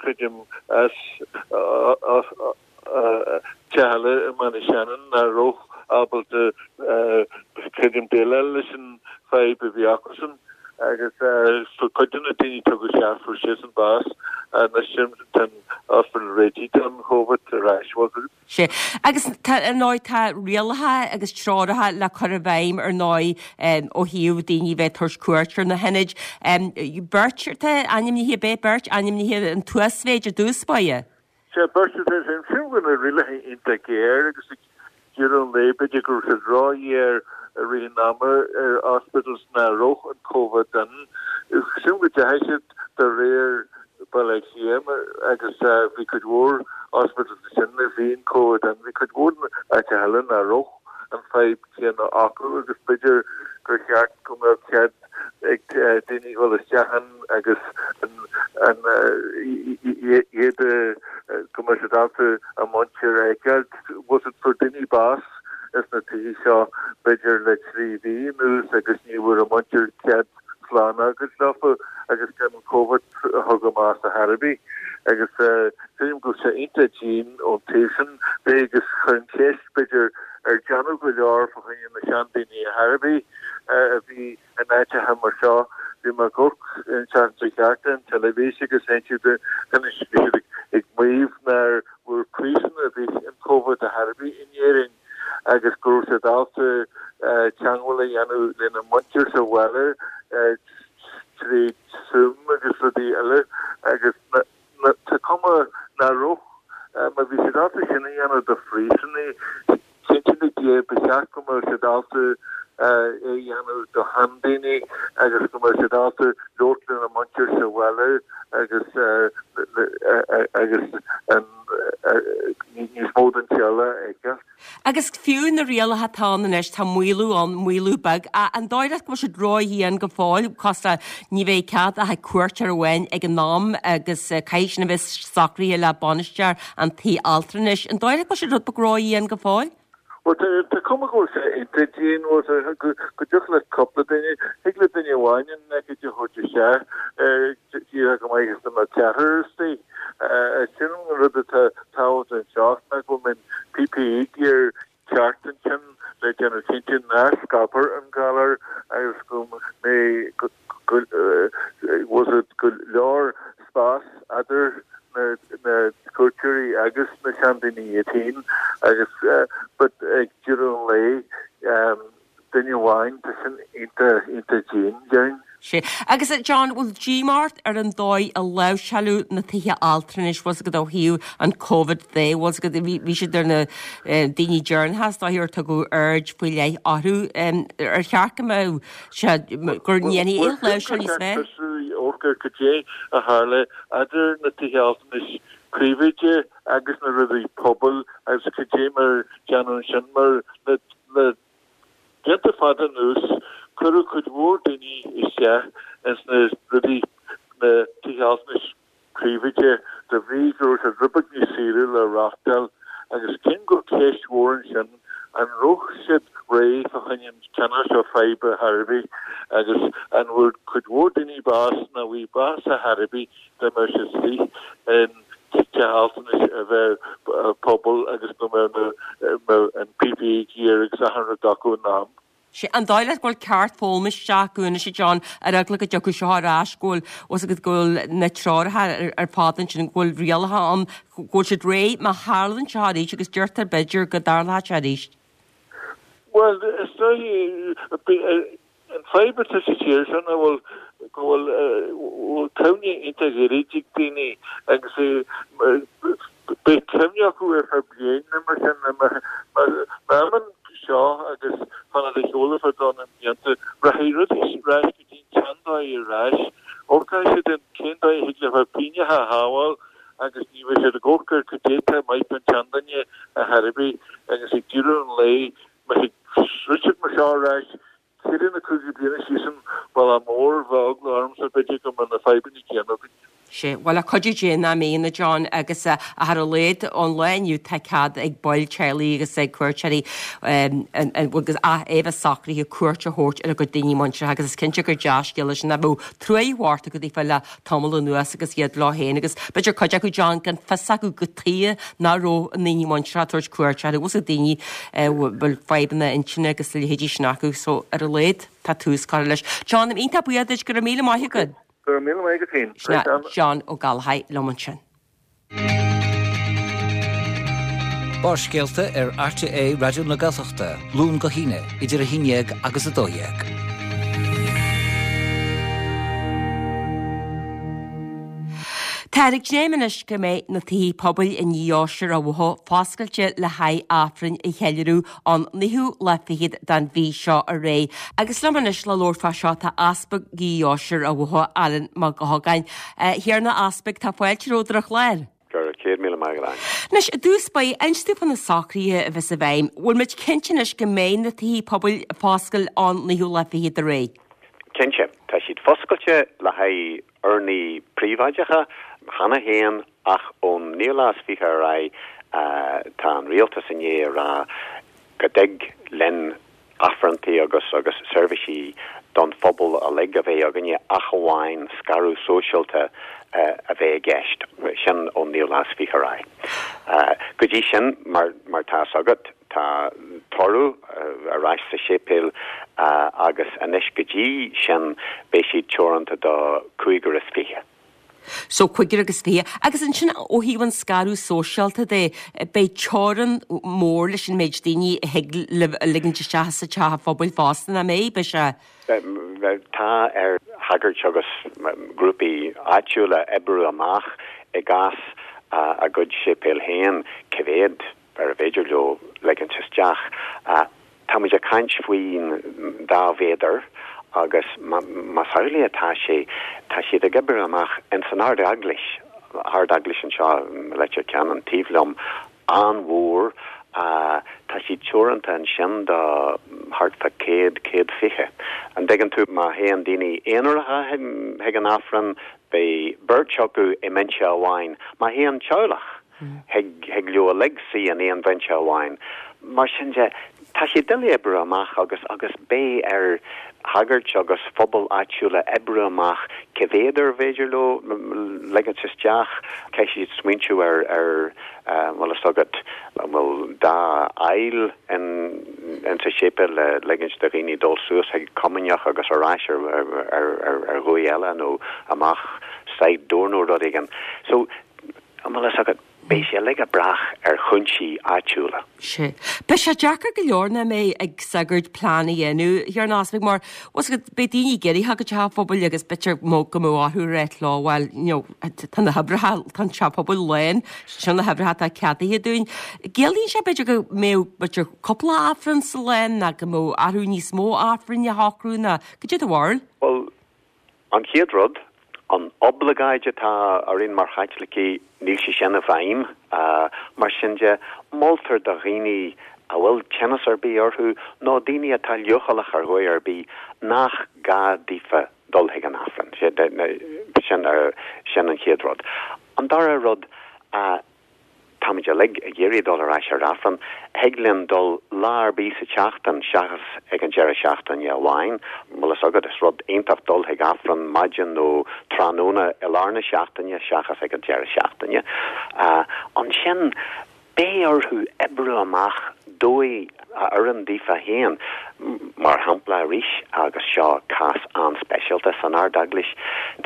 [SPEAKER 5] creidim as teach eile i mBallyshannon nach raibh ábalta creidim déileáil leis an fadhb a bhí acusan agus fuair cuid de na daoine tugadh isteach fuair siadsan bás anois tá an hospital réitithe don Covid ar ais.
[SPEAKER 1] Sé. Agus tá ar ndóigh tá rialacha agus treoracha le cur i bhfeidhm ar ndóigh ó thaobh daoine bheith ag tabhairt cuairt ar na hionaid. Beirt atá ainmnithe, beidh beirt ainmnithe an t-uasmhéid ar dtús báire?
[SPEAKER 5] Sea, beirt atá ansin. Sílim go bhfuil na rialacha iontach géar agus ag deireadh an lae b'fhéidir go raibh siad ró-ghéar i rith an ama ar hospitals nach raibh an Covid ann. Sílim go dteachaigh siad de réir Baile Átha Cliath agus bhí cuid mhór hospitals ansin a bhí an Covid ann. Bhí cuid mhór áiteacha eile nach raibh an fadhb chéanna acu agus b'fhéidir gur cheart go mbeadh cead ag daoine dhul isteach ann agus an iad go mbeadh siad ábalta a muintir a fheiceáil. Was it fuair daoine bás ins na tithe seo b'fhéidir le trí mhí anuas agus ní bhfuair a muintir cead slán a fhágáil leofa agus gan an Covid a thug a mbás ar chor ar bith. Agus sílim go bhfuil sé iontach dian ón taobh sin de agus chuirfinn ceist b'fhéidir ar déanadh go leor fá choinne na seandaoine ar chor ar bith a bhí in áiteacha mar seo. Bhí mé ag amharc an tseachtain seo caite ar an teilifís agus tháinig siad ag maíomh nár bhfuair príosún ar bith an Covid ar chor ar bith in Éirinn agus go raibh siad ábalta teagmháil a dhéanamh lena muintir sa bhaile tríd Zoom agus rudaí eile agus tá cuma nach raibh, má bhí siad ábalta sin a dhéanamh do phríosúnaigh, cinnte le Dia ba cheart go mbeadh siad ábalta é a dhéanamh do sheandaoine agus go mbeadh siad ábalta labhairt lena muintir sa bhaile agus agus níos mó den teaghlach a fheiceáil.
[SPEAKER 1] Agus fiú na rialacha atá ann anois, tá maolú ann, maolú beag. An dóigh leat go bhfuil siad ró-dhian go fóill? Cosúil le ní bheidh cead ach ag cuairteoir amháin ag an am agus caithfidh sin a bheith socraithe le bainisteoir an tí altranais. An dóigh leat go bhfuil siad rud beag ró-dhian go fóill?
[SPEAKER 5] Bhuel, tá cuma go bhfuil sé iontach dian, bhuel, go dtiocfadh le cúpla duine, thig le duine amháin an leicid a thabhairt isteach, díreach go maith is dá mbeadh ceathrar istigh. Sin an rud atá tábhachtach anseo, ná go mbeidh PPE gear ceart ansin le déanamh cinnte nach scaipfear an galar agus go mbeidh, go, bhfuil a fhios agat, go leor spás eadar na cuairteoirí agus na seandaoine iad féin agus but ag deireadh an lae duine amháin tá sin iontach iontach dian déarfainn.
[SPEAKER 1] Sea. Agus John, bhfuil díomá ort ar an dóigh a láimhseáladh na tithe altranais, bhfuil a fhios agat ó thaobh an Covid de, bhfuil a fhios agat, bhí bhí siad ar na daoine deireanacha is dóichí ar tugadh aird faoi leith orthu. Ar cheart go mbeadh sé, go ndéanfaí aon láimhseáil níos fearr?
[SPEAKER 5] Amharc ar cad é a tharla idir na tithe altranais príobháideacha agus na rudaí pobail agus cad é mar déanadh ansin mar le le blianta fada anuas cuireadh cuid mhór daoine isteach ins na rudaí na tithe altranais príobháideacha de bhrí go raibh siad rud beag níos saoire le reáchtáil agus cím go bhfuil ceist mhór ansin an raibh siad réidh fá choinne an cineál seo faidhbe ar chor ar bith agus an bhfuair cuid mhór daoine bás nó bhí bás ar chor ar bith dá mbeadh siad istigh in teach altranais a bheith pobal agus nó mbeadh an PPE gear agus achan rud acu in am.
[SPEAKER 1] Sea, an dóigh leat go bhfuil ceart foghlama isteach acu anois a John, ar eagla go dtiocfadh seo ar ais, go bhfuil fhios agat go bhfuil na treoracha ar fad ansin, go bhfuil rialacha ann, go bhfuil siad réidh má tharlaíonn seo arís agus deirtear b'fhéidir go dtarlódh sé arís?
[SPEAKER 5] Bhuel, is dóigh, an fadhb atá sa tír seo ná bhfuil go bhfuil bhfuil cuimhne iontach ghairid ag daoine agus beidh cuimhne acu ar feadh bliain nó mar sin má imíonn seo agus fanfaidh a sheoladh fá dó na mblianta, rachaidh rudaí ar ais go dtí an tseandóigh ar ais. Amharcfaidh siad an cén dóigh a thig leo pingin a shábháil agus ní bheidh siad ag amharc ar cad é atá maith don tseanduine ar chor ar bith agus ag deireadh an lae má throid siad mar seo ar ais ceithre nó cúig bliana síos an bealach mór bheadh eagla ormsa b'fhéidir go mbeadh na fadhbanna céanna againn.
[SPEAKER 1] Sea, bhuel le cuidiú Dé nach mbeidh a John agus ach ar a laghad ón lá inniu tá cead ag baill teaghlaigh agus ag cuairteoirí agus é a bheith socraithe cuairt a thabhairt ar a gcuid daoine muinteartha agus is cinnte gur dea-scéal é sin a bheadh truaí mhór acu daofa le tamall anuas agus iad leo féin agus b'fhéidir cuid acu John gan fios acu cad chuige nach raibh a ndaoine muinteartha ag tabhairt cuairt orthu bhfuil daoine a bhfuil fadhbanna intinne agus a leithéidí sin acu so ar a laghad tá tús curtha leis. John, iontach buíoch duit go raibh míle maith agat.
[SPEAKER 5] Go raibh míle maith agat féin.
[SPEAKER 1] Sin John Ó Gallchóir liom ansin.
[SPEAKER 3] Barrscéalta ar RTÉ Raidió na Gaeltachta, Luan go hAoine, idir a haon déag agus a dó dhéag.
[SPEAKER 1] Táthar ag dréim anois go mbeidh na tithe pobail i nDeoise Ráth Bhoth foscailte le haghaidh Aifreann a cheiliúradh an naoú lá fichead den mhí seo ar aghaidh. Agus liom anois le labhairt fá seo tá Easpag Dheoise Ráth Bhoth, Alan Mac Gabhann. A Thiarna Easpaig, tá fáilte romhat ar an chlár.
[SPEAKER 6] Go raibh céad míle maith agat.
[SPEAKER 1] Anois, i dtús báire, inis dúinn fá na socruithe a bheas i bhfeidhm. Bhfuil muid cinnte anois go mbeidh na tithe pobail foscailte an naoú lá fichead ar aghaidh?
[SPEAKER 6] Cinnte, tá siad foscailte le haghaidh urnaí príobháideacha cheana féin ach ón naoú lá is fiche ar aghaidh tá an rialtas i ndiaidh a rá go dtig linn aifreanntaí agus agus seirbhísí don phobal uilig a bheith againne ach amháin scaradh sóisialta a bheith i gceist, sin ón naoú lá is fiche ar aghaidh. Go dtí sin, mar mar tá fhios agat, tá toradh ar ais sa séipéal agus anois go dtí sin beidh siad teoranta do cúigear is fiche.
[SPEAKER 1] So cúigear agus fiche. Agus ansin ó thaobh an scaradh sóisialta de, beidh teorainn mór leis an méid daoine a thig libh a ligint isteach sa teach phobail fosta, nach mbeidh? Beidh sé.
[SPEAKER 6] Tá ar shagairt agus grúpaí áitiúla oibriú amach i gcás a gcuid séipéal féin cé mhéad ar féidir leo ligint isteach. Tá muid ag caint faoin dá mhéadar agus más amhlaidh atá sé, tá siad ag oibriú amach ins an Ard-Eaglais, Ard-Eaglais anseo i Leitir Ceanainn taobh liom, an-mhór, tá siad teoranta ansin do thart fá céad, céad fiche. An dtuigeann tú, má théann daoine aonaracha chuig an Aifreann, beidh beirt acu i mbinse amháin. Má théann teaghlach, thig, thig leo uilig suí in aon bhinse amháin. Mar sin de, tá sé doiligh oibriú amach agus, agus beidh ar shagairt agus phobail áitiúla oibriú amach cé mhéad ar féidir leo ligint isteach. Caithfidh siad smaointiú ar, ar, bhfuil fhios agat, an bhfuil dhá aill in, in sa séipéal le ligint do dhaoine dul suas chuig comaoineach agus ar ais ar, ar, ar, ar, ar dhóigh eile nó amach side door nó rud éigin. So, an bhfuil fhios agat, beidh sé uilig ag brath ar chúinsí áitiúla.
[SPEAKER 1] Sea. Beidh sé deacair go leor nach mbeidh ag sagairt plean a dhéanamh, a Thiarna Easpaig, mar bhfuil fhios agat, beidh daoine ag iarraidh theacht go teach an phobail agus b'fhéidir go mbeadh orthu a ráit leo, bhuel, you know, tá na hoibreacha, tá an teach pobail lán, seo na hoibreacha atá ceadaithe dúinn. Ciallaíonn sé b'fhéidir go mbeadh b'fhéidir cúpla Aifreann sa lá nó go mbeadh orthu níos mó Aifrinn a shocrú nó cad é do bharúil?
[SPEAKER 6] Bhuel, an chéad rud, an oibleagáid atá orainn mar Chaitlicigh, níl sé sin i bhfeidhm. Mar sin de, moltar do dhaoine a bhfuil tinneas ar bith orthu nó daoine atá leochaileach ar dhóigh ar bith nach gá daofa dul chuig an Aifreann. Sin, sin an chéad rud. An dara rud, tá táimid uilig ag iarraidh dul ar ais ar Aifreann, thig linn dul lá ar bith sa tseachtain seachas ag an deireadh seachtaine amháin. Bhfuil fhios agat, is rud iontach dul chuig Aifreann maidin nó tráthnóna i lár na seachtaine seachas ag an deireadh seachtaine. Ansin, beidh orthu oibriú amach dóigh a oireann daofa féin. Mar shampla arís, agus seo cás an-speisialta san Ardeaglais,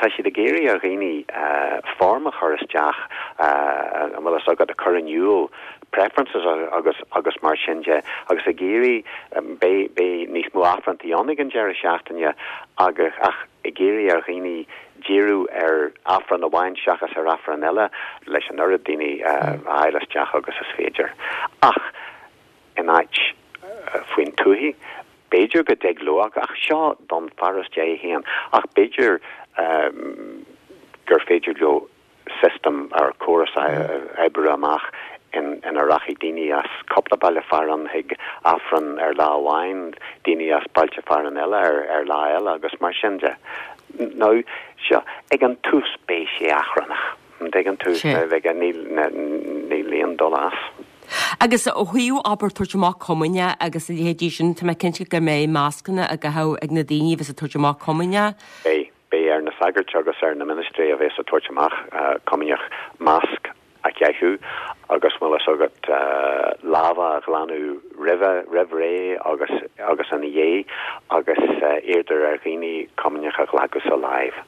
[SPEAKER 6] tá siad ag iarraidh ar dhaoine form a chur isteach, an bhfuil fhios agat, a chur in iúl, preferences agus agus mar sin de, agus ag iarraidh, beidh beidh níos mó Aifreanntaí ann ag an deireadh seachtaine agus ach ag iarraidh ar dhaoine díriú ar Aifreann amháin seachas ar Aifreann eile leis an oiread daoine a fháil isteach agus is féidir. Ach in áit faoin tuath, b'fhéidir go dtig leo, ach seo don pharóiste é féin, ach b'fhéidir gur féidir leo system ar córas a oibriú amach ina rachaidh daoine as cúpla baile fearainn chuig Aifreann ar lá amháin, daoine as bailte fearainn eile ar lá eile agus mar sin de. Now, seo, ag an tús beidh sé achrannach, an dtuigeann tú, níl, níl aon dul as.
[SPEAKER 1] Agus ó thaobh abair tabhairt amach comaoine agus a leithéidí sin, tá mé cinnte go mbeidh mascanna á gcaitheamh ag na daoine a bheas ag tabhairt amach comaoine.
[SPEAKER 6] Beidh. Beidh ar na sagairt agus ar na ministrí a bheas ag tabhairt amach comaoineach masc a chaitheamh agus bhfuil fhios agat lámha a ghlanadh roimhe, roimh ré agus agus ina dhiaidh agus iarrtar ar dhaoine comaoineach a ghlacadh sa láimh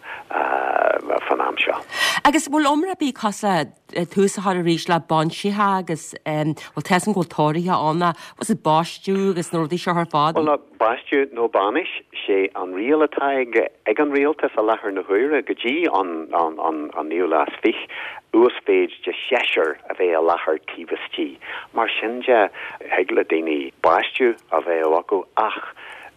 [SPEAKER 6] fan am seo.
[SPEAKER 1] Agus bhfuil iomrá ar bith cosúil le tús a chur arís le bainseacha agus bhuel tá fhios agam go bhfuil tórraithe ann ach bhfuil siad baisteadh agus na rudaí seo ar fad?
[SPEAKER 6] Bhuel baisteadh nó bainis, sé an riail atá ag ag an rialtas i láthair na huaire go dtí an an an an naoú lá is fiche, uasmhéid de sheisear a bheith i láthair taobh istigh. Mar sin de, thig le daoine baisteadh a bheith acu ach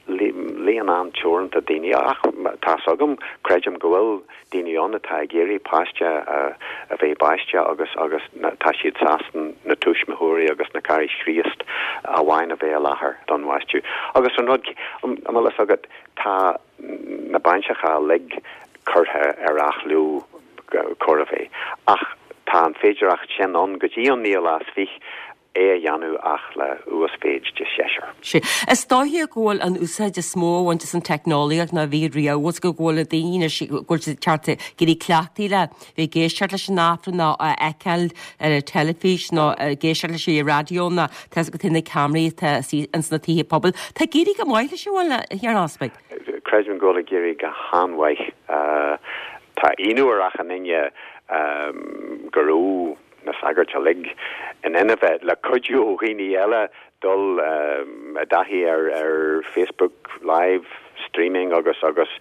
[SPEAKER 6] líon an-teoranta daoine. Ach tá's agam, creidim go bhfuil daoine ann atá ag iarraidh páiste a bheith baiste agus agus tá siad sásta na tuismitheoirí agus na Cara Chríost amháin a bheith i láthair don bhaisteadh. Agus an rud, an bhfuil fhios agat, tá na bainseacha uilig curtha ar athló chóir a bheith. Ach tá an féidearthacht sin ann go dtí an naoú lá is fiche é a dhéanamh ach le uasmhéid de sheisear.
[SPEAKER 1] Sea. Is dóiche go bhfuil an úsáid is mó á bhaint as an teicneolaíocht ná a bhí riamh agus go bhfuil na daoine anois, go bhfuil siad ceart ag éirí cleachtaithe le bheith ag éisteacht leis an Aifreann nó á fheiceáil ar an teilifís nó ag éisteacht leis ar an raidió nó tá fhios agat na ceamaraí atá ins na tithe pobail. Tá ag éirí go maith leis an bhfuil, a Thiarna Easpaig?
[SPEAKER 6] Creidim go bhfuil ag éirí go han-mhaith. Tá ionadh ar achan duine go raibh na sagairt uilig in ann a bheith, le cuidiú ó dhaoine eile, dul i dtaithí ar ar Facebook Live streaming agus agus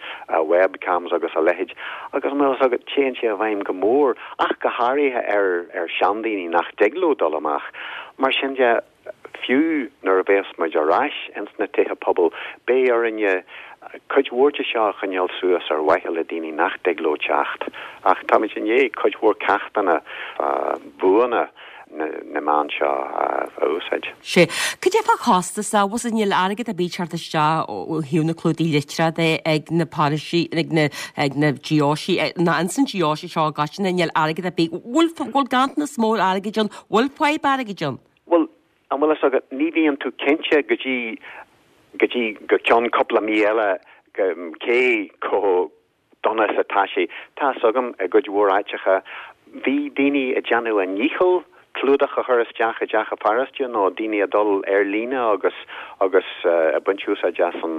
[SPEAKER 6] webcams agus a leithéid. Agus an bhfuil fhios agat, téann sé i bhfeidhm go mór, ach go háirithe ar ar seandaoine nach dtig leo dul amach. Mar sin de, Fiú nuair a bheas muid ar ais ins na tithe pobail, beidh orainne cuid mhór de seo a choinneáil suas ar mhaithe le daoine nach dtig leo teacht. Ach táimid i ndiaidh cuid mhór ceachtanna fá bhuanna na meán seo a úsáid.
[SPEAKER 1] Sea. Cad é fá chostas? Bhfuil fhios agat, níl airgead ar bith ag teacht isteach ó thaobh na clúdaigh litreach de ag na paróistí, ag na, ag na deoisí, ná ins an deoise seo i gcoitinne, níl airgead ar bith. Bhfuil, bhfuil ganntanas mór airgid ann? Bhfuil fadhb airgid ann?
[SPEAKER 6] Bhuel, an bhfuil fhios agat, ní bhíonn tú cinnte go dtí, go dtí go ceann cúpla mí eile cé chomh dona is atá sé. Tá fhios agam, i gcuid mhór áiteacha, bhí daoine ag déanamh a ndícheall clúdach a chur isteach i dteach an pharóiste nó daoine ag dul ar líne agus, agus ag baint úsáid as an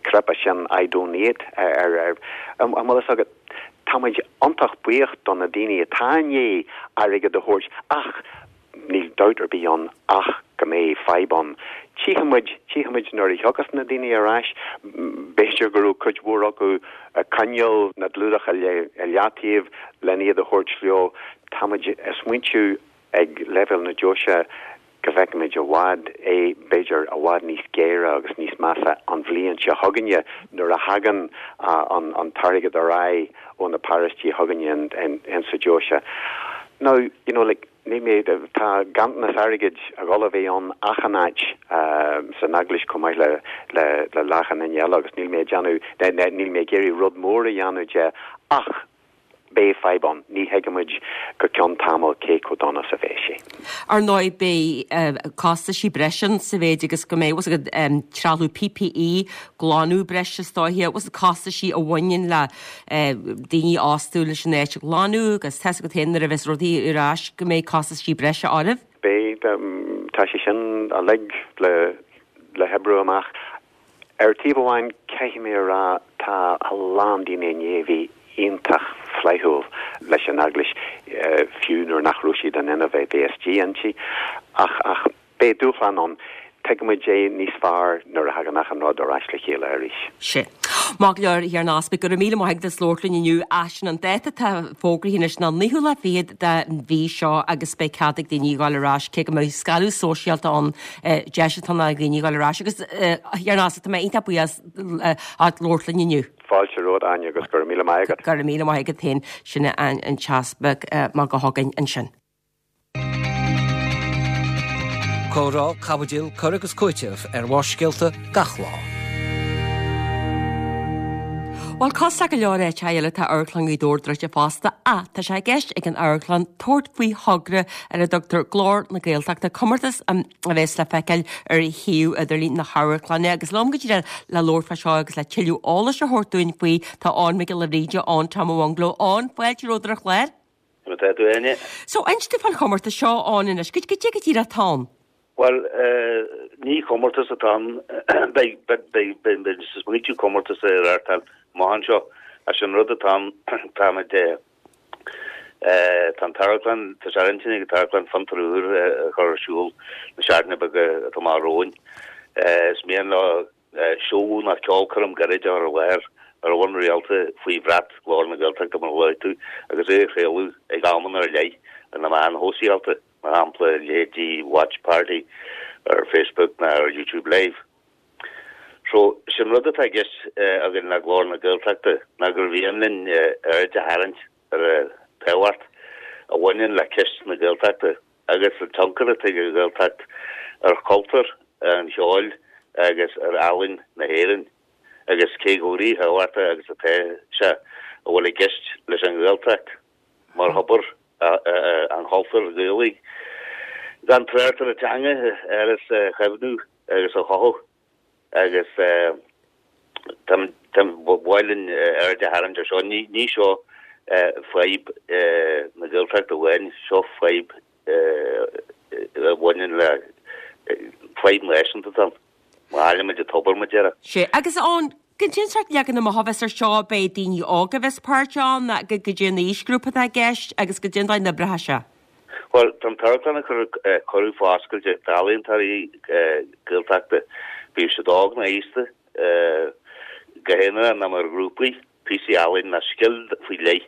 [SPEAKER 6] cnaipe sin iDonate ar, ar, an bhfuil fhios agat, tá muid iontach buíoch do na daoine atá i ndiaidh airgead a thabhairt ach níl dabht ar bith ann ach go mbeidh fadhb ann. Tchífidh muid, tchífidh muid nuair a thiocfas na daoine ar ais, b'fhéidir go raibh cuid mhór acu ag coinneáil na gclúdach i leataobh len iad a thabhairt leo. Tá muid ag smaointiú ag leibhéal na deoise go bhfeicfimid i bhfad é, b'fhéidir i bhfad níos géire agus níos measa an bhliain seo chugainne nuair a thagann an t-airgead ar aghaidh ó na paróistí chugainne in sa deoise. Now, you know, like, níl mé, tá ganntanas airgid a dhul a bheith ann achan áit san eaglais chomh maith le le le achan duine eile agus níl mé ag déanamh, níl mé ag iarraidh rud mór a dhéanamh de ach, Beidh fadhb ann, ní thuigimid go ceann tamaill cé chomh dona is a bheidh sé.
[SPEAKER 1] Ar ndóigh beidh costaisí breise ann sa mhéid agus go mbeidh bhfuil fhios agat trealamh PPE, glanadh breise is dóiche, bhfuil fhios agat costaisí a bhaineann le daoine a fhostú leis an áit a ghlanadh agus tá fhios agat féin nuair a bheas rudaí ar ais go mbeidh costaisí breise oraibh.
[SPEAKER 6] Beidh, tá sé sin uilig le le hoibriú amach. Ar taobh amháin, caithfidh mé a rá, tá a lán daoine i ndiaidh a bheith iontach flaithiúil leis an Eaglais, fiú nuair nach raibh siad in ann a bheith istigh inti. Ach, ach beidh dúshlán ann. Tuigfimid é níos fearr nuair a thagann achan rud ar ais le chéile arís.
[SPEAKER 1] Sea. Maith go leor, a Thiarna Easpaig, go raibh míle maith agat as labhairt linn inniu. Ach sin an dáta atá fógraithe anois ná naoú lá fichead den mhí seo agus beidh cead ag daoine a ghabháil ar ais, cé go mbeidh scaradh sóisialta ann, deis atá ann ag daoine a ghabháil ar ais. Agus, a Thiarna Easpaig, tá mé iontach buíoch as labhairt linn inniu.
[SPEAKER 6] Fáilte romhat, Áine, agus go raibh míle maith agat.
[SPEAKER 1] Go raibh míle maith agat féin. Sin an tEaspag Mac Gallchóir ansin.
[SPEAKER 3] Comhrá, caibidil, cur agus cúiteamh ar Bharrscéalta gach lá.
[SPEAKER 1] Bhuel, cosúil le go leor áiteacha eile tá Amharclann Ghaoth Dobhair druidte fosta ach tá sé i gceist ag an amharclann tabhairt faoi thogra ar a dtugtar Glór na Gaeltachta, comórtas a bheas le feiceáil ar shuíomh idirlín na hamharclainne. Agus liom go díreach le labhairt fá seo agus le tuilleadh eolais a thabhairt dúinn faoi tá Eoin Mac Giolla Bhríde, Eoin Tom ó Bhungalow. Eoin, fáilte romhat ar an chlár.
[SPEAKER 7] Conas tá tú, Áine?
[SPEAKER 1] So, inis dúinn fán chomórtas seo, Eoin, anois. Cad é go díreach atá ann?
[SPEAKER 7] Bhuel, ní comórtas atá ann. Beidh, beidh, beidh muid ag smaointiú comórtas a reáchtáil amach anseo. Ach sé an rud atá ann, táimid, tá an t-amharclann, tá sé ar intinn ag an t-amharclann fiontar úr a chur ar siúl na seachtaine beaga atá amach romhainn. Is mian leo seó nó ceolchoirm gairid a chur i láthair ar bhonn rialta faoi bhrat Ghlór na Gaeltachta mar a luaigh tú agus é a chraoladh ag amanna ar leith ar na meáin shóisialta. mar shampla leithéidí Watch Party ar Facebook nó ar YouTube Live. So, sin rud atá i gceist againn le Glór na Gaeltachta ná gur mhian linn aird a tharraingt ar an tábhacht a bhaineann le ceist na Gaeltachta agus an tionchar atá ag an Ghaeltacht ar chultúr an cheoil agus ar ealaín na hÉireann agus cé chomh ríthábhachtach agus atá sé a bhfuil i gceist leis an Ghaeltacht mar thobar an chultúir Ghaelaigh, gan trácht ar an teanga a chaomhnú agus a chothú agus ba mhaith linn aird a tharraingt ar seo. Ní seo fadhb na Gaeltachta amháin, seo fadhb a bhaineann le fadhb náisiúnta atá ann. Má chaillimid an tobar, mar a déarfá.
[SPEAKER 1] Sea, agus an, cad é an sórt leagan amach a bheas ar seo, beidh daoine óga a bheas páirteach ann, cad é an aoisghrúpa atá i gceist agus cad é an dóigh a n-oibreoidh sé.
[SPEAKER 7] Bhuel, tá an t-amharclann ag cur cuireadh foscailte d'ealaíontóirí Gaeltachta, bíodh siad óg nó aosta, go haonarach nó mar ghrúpaí, píosaí ealaíne nó scil faoi leith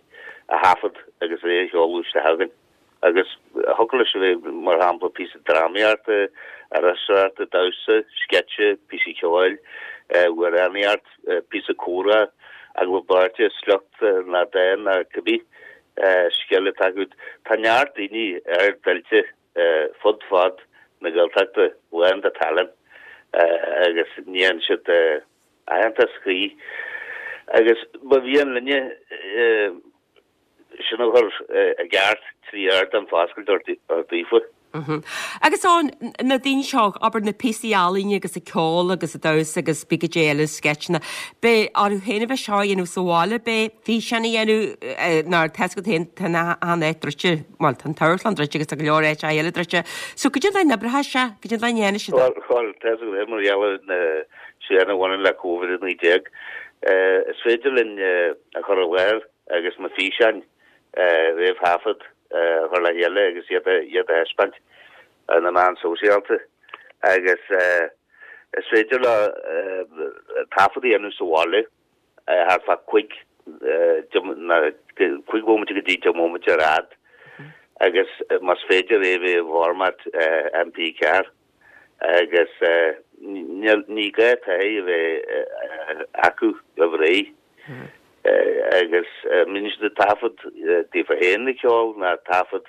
[SPEAKER 7] a thaifead agus é a sheoladh isteach chugainn. Agus thiocfadh leis a bheith, mar shampla, píosa drámaíochta, iriseoireachta, damhsa, sceitse, píosa ceoil, amhránaíocht, píosa comhrá, agallamh beirte, sliocht nó dán nó cibé scil atá agat. Tá neart daoine ardoilte fud fad na Gaeltachta lán de tallann agus ní fhaigheann siad aitheantas cuí. Agus ba mhian linne sin a chur i gceart trí ardán foscailte a thabhairt daofa.
[SPEAKER 1] Agus Eoin, na daoine seo, abair na píosaí ealaíne agus an ceol agus an damhsa agus pé cad é eile, sceitseanna, beidh orthu féin a bheith seo a dhéanamh sa bhaile, beidh físeán a dhéanamh nó tá 'fhios agat féin, tá an áit druidte, bhuel tá an t-amharclann druidte agus tá go leor áiteacha eile druidte. So cad é an dóigh a n-oibreoidh sé, cad é an dóigh a ndéanfaidh siad
[SPEAKER 7] é. Bhuel, tá 'fhios agat féin mar gheall ar na srianta a bhaineann le Covid a naoi déag, is féidir linn a chur i láthair agus na físeáin réamhthaifead a chur le chéile agus iad a thaispeáint ar na meáin sóisialta agus is féidir leo taifead a dhéanamh sa bhaile thart fá cúig cúig bhomaite go dtí deich mbomaite ar fhad agus más féidir é a bheith i bhformat M P ceathair agus ní gá taithí a bheith acu roimh ré agus mbíonn siad ag taifead daofa féin ag ceol nó taifead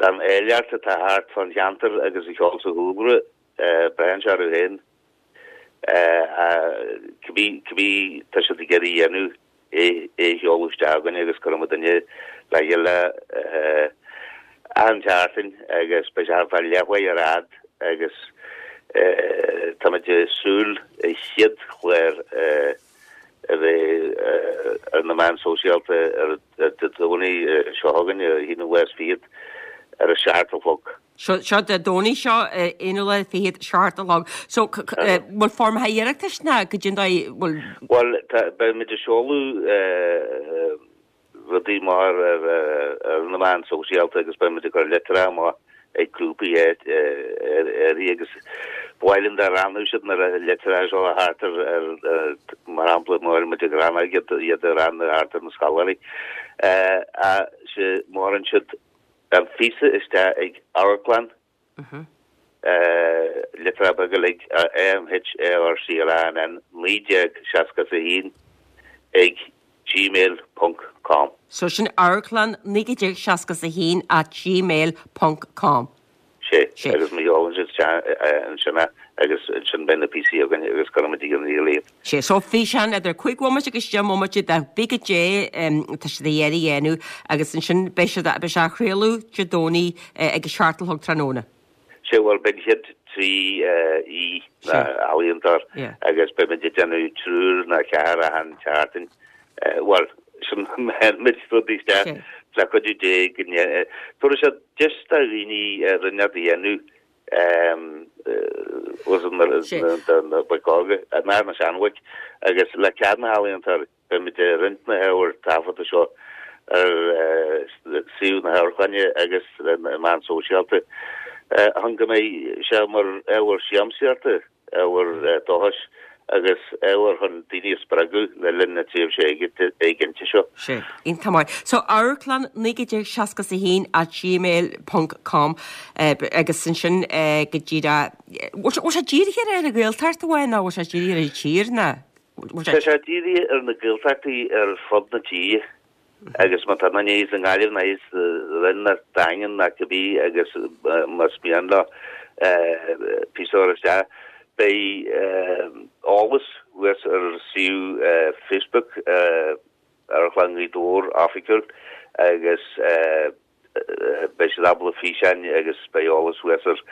[SPEAKER 7] den áilleacht atá thart fán cheantar agus an ceol sa chúlra, braitheann sé orthu féin cibé cibé tá siad ag iarraidh a dhéanamh. é a sheoladh isteach chugainn agus cuirfidh muid duine le chéile achan tseachtain agus beidh sé thart fá leathuair ar fhad agus táimid ag súil an chéad chlár a bheith ar na meáin sóisialta ar Dé Domhnaigh seo chugainn, an haonú lá is fichead, ar a seacht a chlog.
[SPEAKER 1] Seo, seo Dé Domhnaigh seo, aonú lá fichead, seacht a chlog. So, bhfuil foirmeacha iarratais ná goidé an dóigh, bhfuil.
[SPEAKER 7] Bhuel, tá, beimid ag seoladh rudaí mar ar na meáin sóisialta agus beimid ag cur litreacha amach ag grúpaí uirthi agus ba mhaith linn dá roghnódh siad na litreacha seo thart ar, mar shampla, má bhfuil muid ag rannóg iad iad a roghnú thart ar na scoláirí. Sea, má chuireann siad an phíosa isteach ag amharclann, litreacha beaga uilig, A M H A R C L A N N naoi déag seasca a haon ag gmail ponc com.
[SPEAKER 1] So sin amharclann naoi déag seasca a haon at gmail ponc com.
[SPEAKER 7] Sé, agus má sheolann siad isteach ansin é agus ansin beidh na píosaí againn agus cuirfimid ag an ríl iad.
[SPEAKER 1] Sé, so físeán idir cúig bhomaite agus deich mbomaite de bith goidé tá siad ag iarraidh a dhéanamh agus ansin beidh siad, beidh sé á chraoladh Dé Domhnaigh ag a seacht a chlog tráthnóna.
[SPEAKER 7] Sé, bhuel beidh an chéad trí aoi ná ealaíontóir agus beimid ag déanamh triúr ná ceathrar achan tseachtain. Bhuel, sin muid rudaí isteach le cuidiú Dé go dtabharfaidh sé deis do dhaoine rud a dhéanamh do na boic óga, ná na seanbhoic, agus le cead na n-ealaíontóirí, beimid ag roinnt na hábhair taifeadta seo ar suíomh na hamharclainne agus na meáin sóisialta chun go mbeidh sé mar ábhar siamsaíochta. ábhar dóchais agus ábhar chun daoine a spreagadh le linn na tréimhse éiginnte seo.
[SPEAKER 1] Sé. Iontach maith. So, amharclann naoi déag seasca a haon at gmail ponc com agus ansin go díreach, bhfuil sé dírithe ar an Ghaeltacht amháin nó bhfuil sé dírithe ar an tír nó?
[SPEAKER 7] Tá sé dírithe ar na Gaeltachtaí ar fud na tíre. Agus má tá duine thíos i nGaillimh ná thíos sa Rinn ná Daingean ná cibé agus más mian leo píosa a chur isteach, beidh eolas thuas ar suíomh Facebook Amharclann Ghaoth Dobhair Oifigiúil agus beidh siad ábalta físeáin agus beidh eolas thuas ar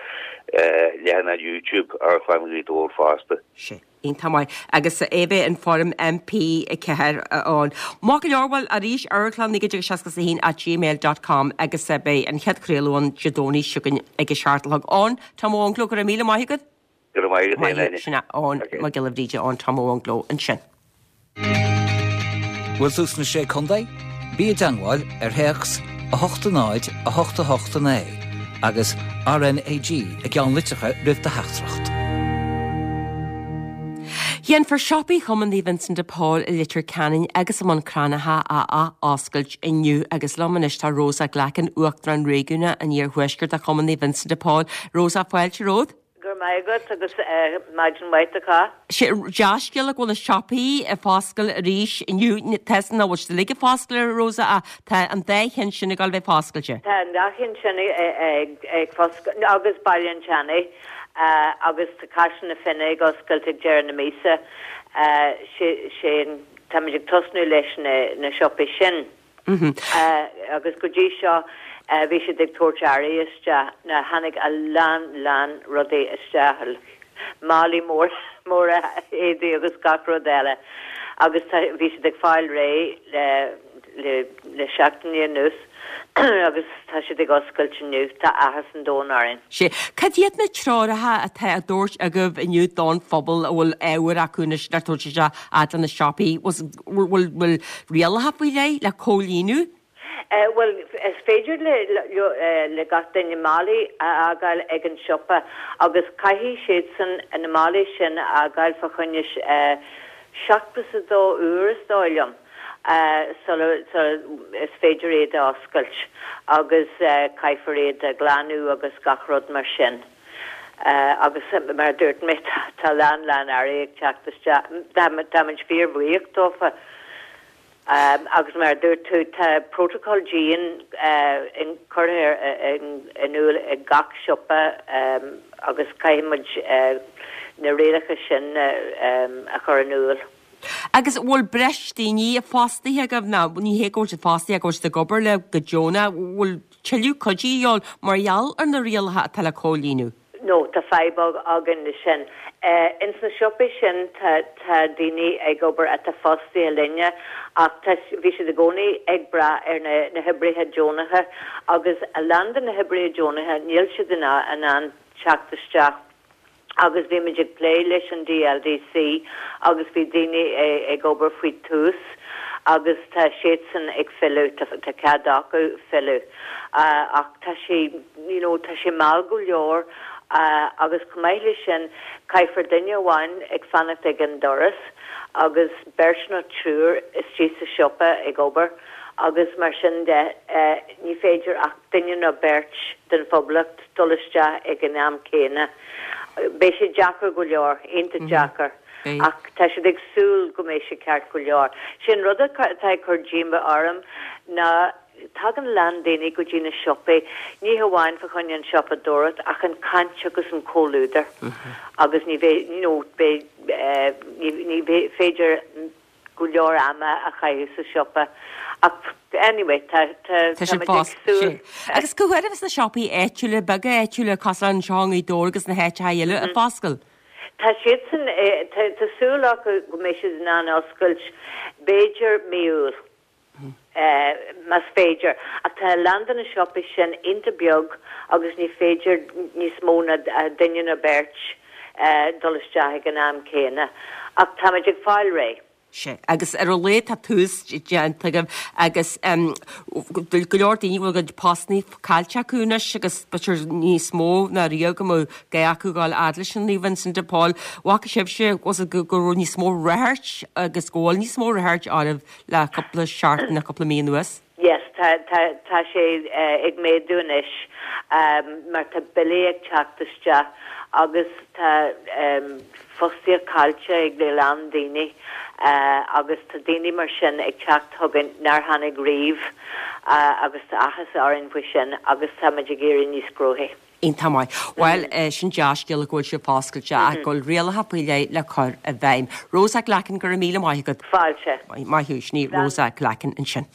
[SPEAKER 7] leathanach YouTube Amharclann Ghaoth Dobhair fosta.
[SPEAKER 1] Sé. Iontach maith. Agus é bheith in foirm M P ceathair ann. Maith go leor, bhuel, arís, amharclann naoi déag seasca a haon at gmail dot com agus beidh an chéad chraoladh ann Dé Domhnaigh seo chugainn ag a seacht a chlog. Eoin, Tom Ó Angló, go raibh míle maith agat.
[SPEAKER 7] Go raibh maith agat féin, Áine.
[SPEAKER 1] Sin é Eoin Mac Giolla Bhríde, Eoin Tom Ó Angló ansin.
[SPEAKER 3] Bhfuil tú sna Sé Contae? Bí i dteangmháil ar théacs a hocht a náid a hocht a hocht a naoi agus R N A G i gceannlitreacha roimh do theachtaireacht.
[SPEAKER 1] Déanfar siopaí Chumann Naomh Vincent de Paul i Leitir Ceanainn agus i mBun Cranncha a ath-oscailt inniu agus liom anois tá Rosa Glackin, Uachtarán Réigiúnach an Iarthuaiscirt de Chumann Naomh Vincent de Paul. Rosa, fáilte romhat.
[SPEAKER 8] Go raibh maith agat agus maidin mhaith do chách.
[SPEAKER 1] Sé dea-scéala go bhfuil na siopaí ag foscailt arís inniu. Tá a fhios agam nach bhfuil siad uilig ag foscailt a Rosa ach tá an dá cheann sin ag dul a bheith foscailte.
[SPEAKER 8] Tá an dá cheann sin ag foscailt agus Baile an tSeanaidh agus tá Caiseal na Finne ag oscailt ag deireadh na míosa. Sé táimid ag tosnú leis na siopaí sin. Agus go dtí seo bhí siad ag tabhairt earraí isteach. Now tháinig a lán lán rudaí isteach, málaí móra móra éadaí agus gach rud eile. Agus tá, bhí siad ag fáil réidh le le le seachtainí anuas agus tá siad ag oscailt inniu. Tá áthas an domhain orainn.
[SPEAKER 1] Sé. Cad iad na treoracha atá á dtabhairt agaibh inniu don phobal a bhfuil ábhar acu anois le tabhairt isteach fhad le na siopaí? Bhfuil bhfuil rialacha faoi leith le comhlíonadh?
[SPEAKER 8] Bhuel, is féidir le le gach duine málaí a fhágáil ag an siopa agus caithfidh siadsan na málaí sin a fhágáil fá choinne seachtó is a dó uair is dóigh liom sula is féidir iad a oscailt agus caithfear iad a ghlanadh agus gach rud mar sin. Agus mar a dúirt mé, tá a lán lán earraí ag teacht isteach. Táimid fíorbhuíoch dófa. Agus mar a dúirt tú, tá protocol dian curtha in iúl ag gach siopa agus caithfidh muid na rialacha sin a chur in iúl.
[SPEAKER 1] Agus bhfuil breis daoine fostaithe agaibh nó ní hé go bhfuil siad fostaithe go bhfuil siad ag obair le go deonach, bhfuil tuilleadh cuidí a dhíobháil mar gheall ar na rialacha atá le comhlíonadh?
[SPEAKER 8] No, tá fadhb againn leis sin. Ins na siopaí sin tá tá daoine ag obair atá fostaithe linne ach tá bhí siad i gcónaí ag brath ar na na hoibrithe deonacha agus a lán de na hoibrithe deonacha níl siad in in ann teacht isteach agus bhí muid ag plé leis an DLDC agus bhí daoine ag obair faoi tús agus tá siadsan ag filleadh, tá cead acu filleadh ach tá sé you know tá sé mall go leor agus chomh maith leis sin caithfear duine amháin ag fanacht ag an doras agus beirt nó triúr istigh sa siopa ag obair agus mar sin de ní féidir ach duine nó beirt den phoblacht dul isteach ag an am céanna. Beidh sé deacair go leor, iontach deacair. Ach tá siad ag súil go mbeidh sé ceart go leor. Sin rud atá ag cur díomá orm ná tagann a lán daoine go dtí na siopaí, ní hamháin fa choinne an siopadóireacht ach an caint agus an comhluadar. Agus ní bheidh, you know, beidh, ní, ní féidir go leor ama a chaitheamh sa siopa. Ach anyway, tá, tá,
[SPEAKER 1] tá muid ag súil. Agus cá huair a bheas na siopaí áitiúla, beaga áitiúla, cosúil anseo i nGaoth Dobhair agus na háiteacha eile ag foscailt?
[SPEAKER 8] Tá siadsan, tá, tá súil acu go mbeidh siad in ann oscailt b'fhéidir mí Iúil. Más féidir. Ach tá a lán de na siopaí sin iontach beag agus ní féidir níos mó ná duine nó beirt dul isteach ag an am céanna. Ach táimid ag fáil réidh.
[SPEAKER 1] Sea, agus ar a laghad tá tús déanta agaibh agus go leor daoine go bhfuil a gcuid postanna caillte acu anois agus b'fhéidir níos mó ná riamh go mbeadh gá acu dhul fhad leis an Naomh Vincent de Paul. Bhfaca sibhse go go raibh níos mó ráchairt agus go bhfuil níos mó ráchairt oraibh le cúpla seachtain nó cúpla mí anuas?
[SPEAKER 8] Yes, tá tá tá sé ag méadú anois mar tá billí ag teacht isteach agus tá fostaíocht caillte ag a lán daoine agus tá daoine mar sin ag teacht chugainn nár tháinig riamh agus tá áthas orainn faoi sin agus táimid ag éirí níos gnóthaí.
[SPEAKER 1] Iontach maith. Bhuel, sin dea-scéala go bhfuil sibh foscailte ach go bhfuil rialacha faoi leith le cur i bhfeidhm. Rosa Glackin, go raibh míle maith agat.
[SPEAKER 8] Fáilte.
[SPEAKER 1] Maith thú, sin í Rosa Glackin ansin.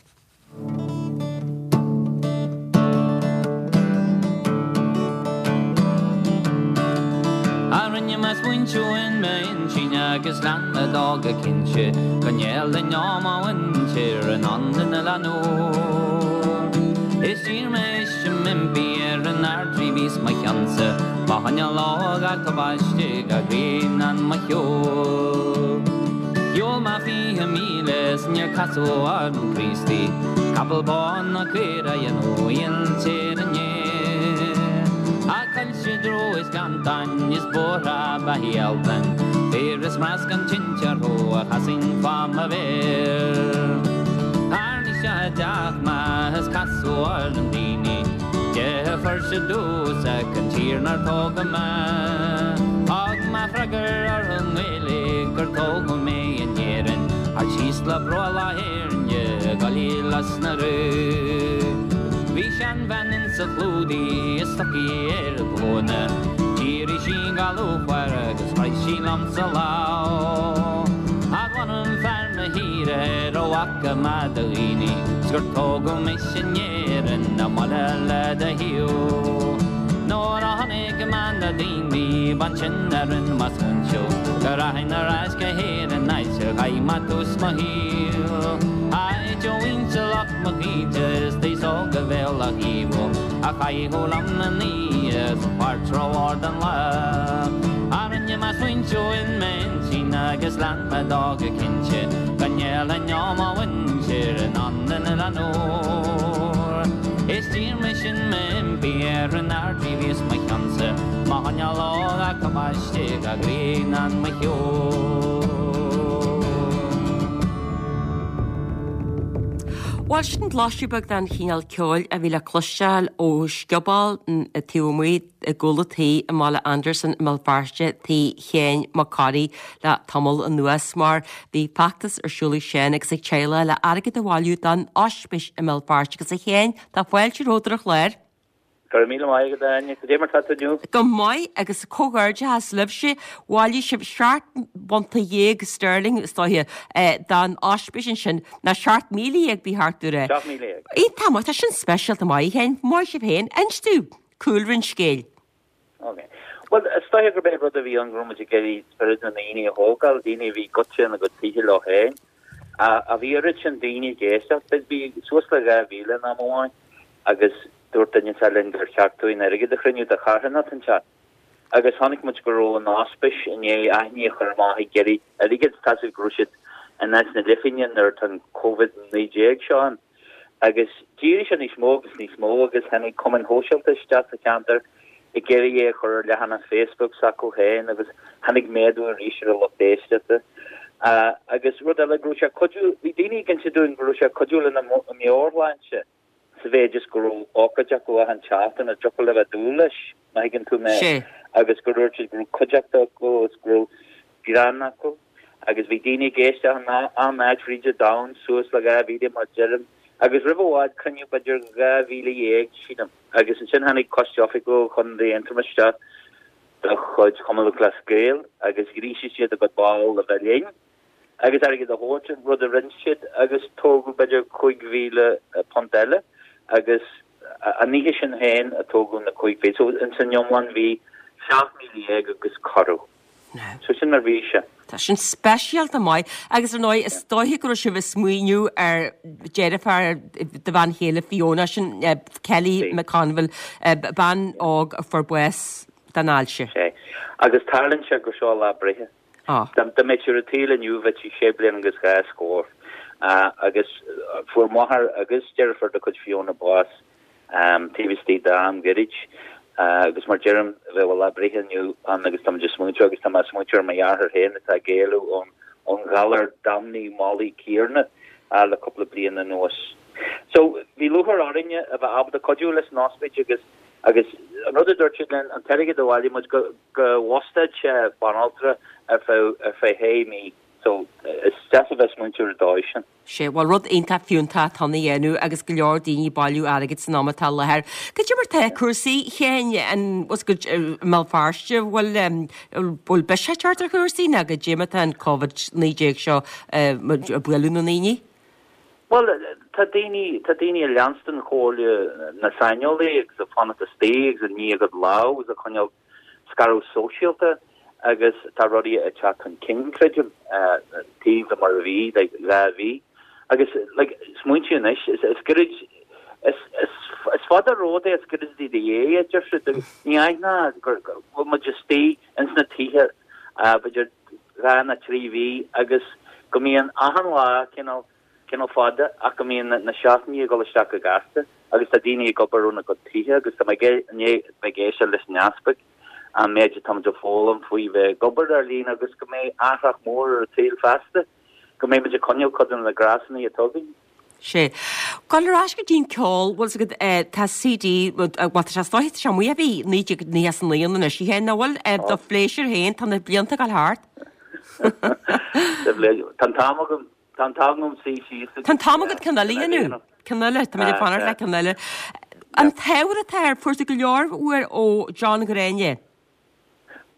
[SPEAKER 9] A rinne mé smaointiú in m'intinn agus lean mé dó go cinnte go ndéanfainn ó mo mhuintir in ann an oileán úr. Is d'iarr mé is m'impí ar an Ardrí bhí 's mo cheannsa mo choinneáil ó ghach tubaiste gach grianán mo shiúl. Shiúil mé fiche míle is níor casadh orm Críostaí, capall bán ná caora a dhéanfadh intír inné. Ach coillte dro is gleanntáin is bóithre ba shealtainn, féar is mrasc an tinte orthu a chasainn fá mo mhéar. Tharraing isteach i dteach mé is casadh orm daoine, Dé a chuir sa dús ach an tír 'nar tógadh mé. Thug mé freagra orthu i nGaeilge gur tógadh mé in Éirinn, thart síos le brollach Éirne ag goil as na rú. Bhí seanbhean insa chlúdaigh is stocaí ar a glúine, D'éirigh sí go lúcháireach agus chroith sí liomsa lámh. Ach mh'anam fear mo thíre ar a bhfaca mé do dhaoine, 's gur tógadh mise in Éirinn i mbaile le do thaobh. Nuair a chonaic mé na daoine b'ansin a rinne mé smaointiú go rachainn ar ais go hÉirinn áit ar chaith mé tús mo shaoil. Áit ó mhuintir lucht mo chaointe is d'aos óg a bhéal a thaobhú a chaitheadh liom na n-oíche sa pháirc rómhór don lá. A rinne mé smaointiú in m'intinn agus lean mé dó go cinnte go ndéanfainn ó mo mhuintir in ann an oileán úr. Is d'iarr mise in m'impí ar an Ardrí bhí 's mo cheannsa mo choinneáil ó gach tubaiste gach grianán mo shiúil.
[SPEAKER 1] Bhuel, sin blaiseadh beag den chineál ceoil a bhí le cloisteáil ó scioból taobh amuigh i gcúl an tí i mBaile Andarsan i mBéal Feirste, tí Shéain Mac Corraidh le tamall anuas mar bhí feachtas ar siúl ag Séan agus a theaghlach le airgead a bhailiú don ospís i mBéal Feirste agus a Shéain, tá fáilte romhat ar an chlár.
[SPEAKER 7] Go raibh míle maith agat, a Áine. Cad é mar tá tú inniu?
[SPEAKER 1] Go maith agus comhghairdeachas libhse. Bhailigh sibh seacht bpunta dhéag sterling, is dóiche, don ospís ansin, ná seacht míle dhéag ba cheart domh a rá.
[SPEAKER 7] Seacht míle dhéag.
[SPEAKER 1] Iontach maith, tá sin speisialta maith, a Sheáin. Maith sibh féin. Inis domh cúlra an scéil.
[SPEAKER 7] Ok. Bhuel, is dóiche gurb é rud a bhí ann go raibh muid ag iarraidh spiorad na ndaoine a thógáil, daoine a bhí goite ina gcuid tithe leo féin. A bhí oiread sin daoine ag éisteacht, bhí suas le dhá mhíle in am amháin agus dúirt duine inteacht linn gur cheart dúinn airgead a chruinniú do charthanacht inteacht. Agus chonaic muid go raibh an ospís i ndiaidh aithne a chur amach ag iarraidh airgid, tá 's agat go raibh siad in áit na leithphingne nuair atá an Covid naoi déag seo ann. Agus d'éirigh sé níos mó agus níos mó agus tháinig cumainn shóisialta isteach sa cheantar ag iarraidh é a chur ar leathanach Facebook s'acu féin agus tháinig méadú arís ar an lucht éisteachta. Agus rud eile, go raibh sé ag cuidiú, bhí daoine ag inse dúinn go raibh sé ag cuidiú lena meabhairshláinte sa mhéid is go raibh ócáid acu achan tseachtain a dtiocfadh leo a bheith ag dúil leis, má thuigeann tú mé, agus gur dhúirt siad go raibh cuideachta acu agus go raibh greann acu. Agus bhí daoine ag éisteacht in achan áit fríd an domhan, suas le dhá mhíle mar deirim, agus roimh i bhfad cruinníodh b'fhéidir dhá mhíle dhéag, sílim. Agus ansin tháinig Coiste Oifigiúil Chontae Aontroma isteach de chuid Chumann Lúthchleas Gael agus ghríosaigh siad a gcuid ball a bheith linn agus airgead a thabhairt, an rud a rinne siad, agus tógadh b'fhéidir cúig mhíle punt eile agus an oíche sin féin a tógadh na cúig mhíle. So ins an iomlán bhí seacht míle dhéag agus corradh. So sin mar a bhí sé.
[SPEAKER 1] Tá sin speisialta maith agus ar ndóigh is dóiche go raibh sibh ag smaoineamh ar deirfiúr do bhean chéile Fiona, sin Kelly McConville, bean óg a fuair bás den ailse.
[SPEAKER 7] Sé. Agus tarlaíonn sé gur seo a lá breithe. Dá mbeadh sí ar an tsaol inniu bheadh sí sé bliana agus dhá scór. Agus fuair máthair agus deirfiúr de chuid Fiona bás taobh istigh d'am gairid. Agus mar deirim, bheadh a lá breithe inniu ann agus táimid ag smaointiú agus tá mé ag smaointiú ar mo dheartháir féin atá ag éalú ón ghalar damnaithe mallach céanna le cúpla bliain anuas. So, bhí lúcháir orainne a bheith ábalta cuidiú leis an ospís agus agus an rud a dúirt siad linn, an t-airgead a bhailigh muid go go bhfostódh sé banaltra ar feadh ar feadh shé mí. So, is deas a bheith ag smaointiú ar an dóigh sin.
[SPEAKER 1] Sea, bhuel rud iontach fiúntach atá ann a dhéanamh agus go leor daoine ag bailiú airgid san am atá i láthair. Cad é mar tá cúrsaí a Sheáin, an bhfuil go i mBéal Feirste, bhfuil bhfuil biseach ag teacht ar chúrsaí nó cad é mar atá an Covid naoi déag seo ag bualadh na ndaoine?
[SPEAKER 7] Bhuel, tá daoine, tá daoine ag leanstan chomhairle na saineolaí agus ag fanacht istigh agus ag ní a gcuid lámh agus ag coinneáil scaradh sóisialta agus tá rudaí ag teacht chun cinn, creidim, taobh le mar a bhí, like, dhá mhí. Agus, like, smaointigh anois, is, is gairid, is, is, is fada romhat é, is gairid i do dhiaidh é, a deir siad, agus ní aithneofá gur, go bhfuil muid istigh ins na tithe, b'fhéidir dhá nó trí mhí agus go mbíonn achan lá cineál, cineál fada ach go mbíonn na seachtainí ag dul isteach go gasta agus tá daoine ag obair óna gcuid tithe agus tá mé i ndiaidh bheith ag éisteacht leis an easpag, an méid atá muid ag foghlaim faoi bheith ag obair ar líne agus go mbeidh athrach mór ar an tsaol feasta, go mbeidh muid ag coinneáil cuid de na gnásanna atá againn.
[SPEAKER 1] Sea. Gabháil ar ais go dtí an ceol, bhfuil 's agat, tá CD, bhuel tá sé is dóiche, tá sé amuigh ó bhí naoi déag nócha is a naoi ann anois, a Sheáin, nach bhfuil? Do phléisiúr féin, tá na blianta ag dul thart.
[SPEAKER 7] Tá an t-am agam. Tá an t-am agam suí síos agus.
[SPEAKER 1] Tá an t-am agat ceann eile a dhéanamh. Ceann eile, tá mé ag fanacht le ceann eile. An t-ábhar atá air, fuair tú go leor uair ó John Ghráinne?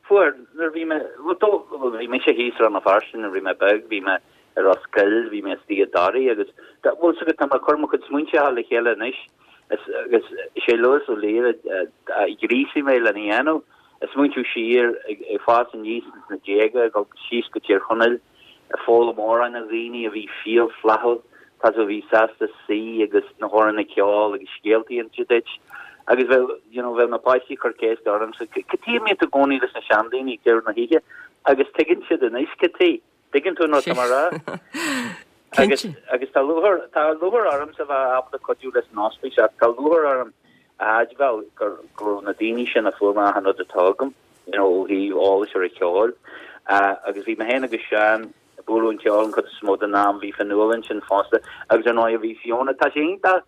[SPEAKER 7] Fuair, nuair a bhí mé, bhuel dó, bhuel bhí mise thíos i Rann na Feirste nuair a bhí mé beag, bhí mé ar Ros Goill, bhí mé istigh i dToraí agus, bhfuil 's agat, tá mé ag cur mo chuid smaointe le chéile anois is, agus is é Lewis Ó Laoire a ghríosaigh mé lena dhéanamh. Ag smaointiú siar, ag fás aníos ins na déaga, ag dul síos go Tír Chonaill, ag foghlaim amhráin ó dhaoine a bhí fial flaithiúil, tá 's agat a bhí sásta suí agus na hamhráin a cheol agus scéaltaí a inse duit. Agus bheadh, you know, bheadh na páistí ag cur ceist ormsa, cad chuige a mbíonn tú i gcónaí leis na seandaoine ag deireadh na hoíche? Agus tuigeann siad anois cad chuige. Tuigeann tú an rud atá mé a rá? Agus, agus tá lúcháir, tá lúcháir ormsa a bheith ábalta cuidiú leis an ospís ach tá lúcháir orm a admháil gur, go raibh na daoine sin a fuair mé achan rud atá agam. you know, ó thaobh eolais ar an cheol. Agus bhí mé féin agus Seán ag bualadh an cheoil an chuid is mó den am, bhí Fionnuala ansin fosta agus ar ndóigh bhí Fiona. Tá sé iontach,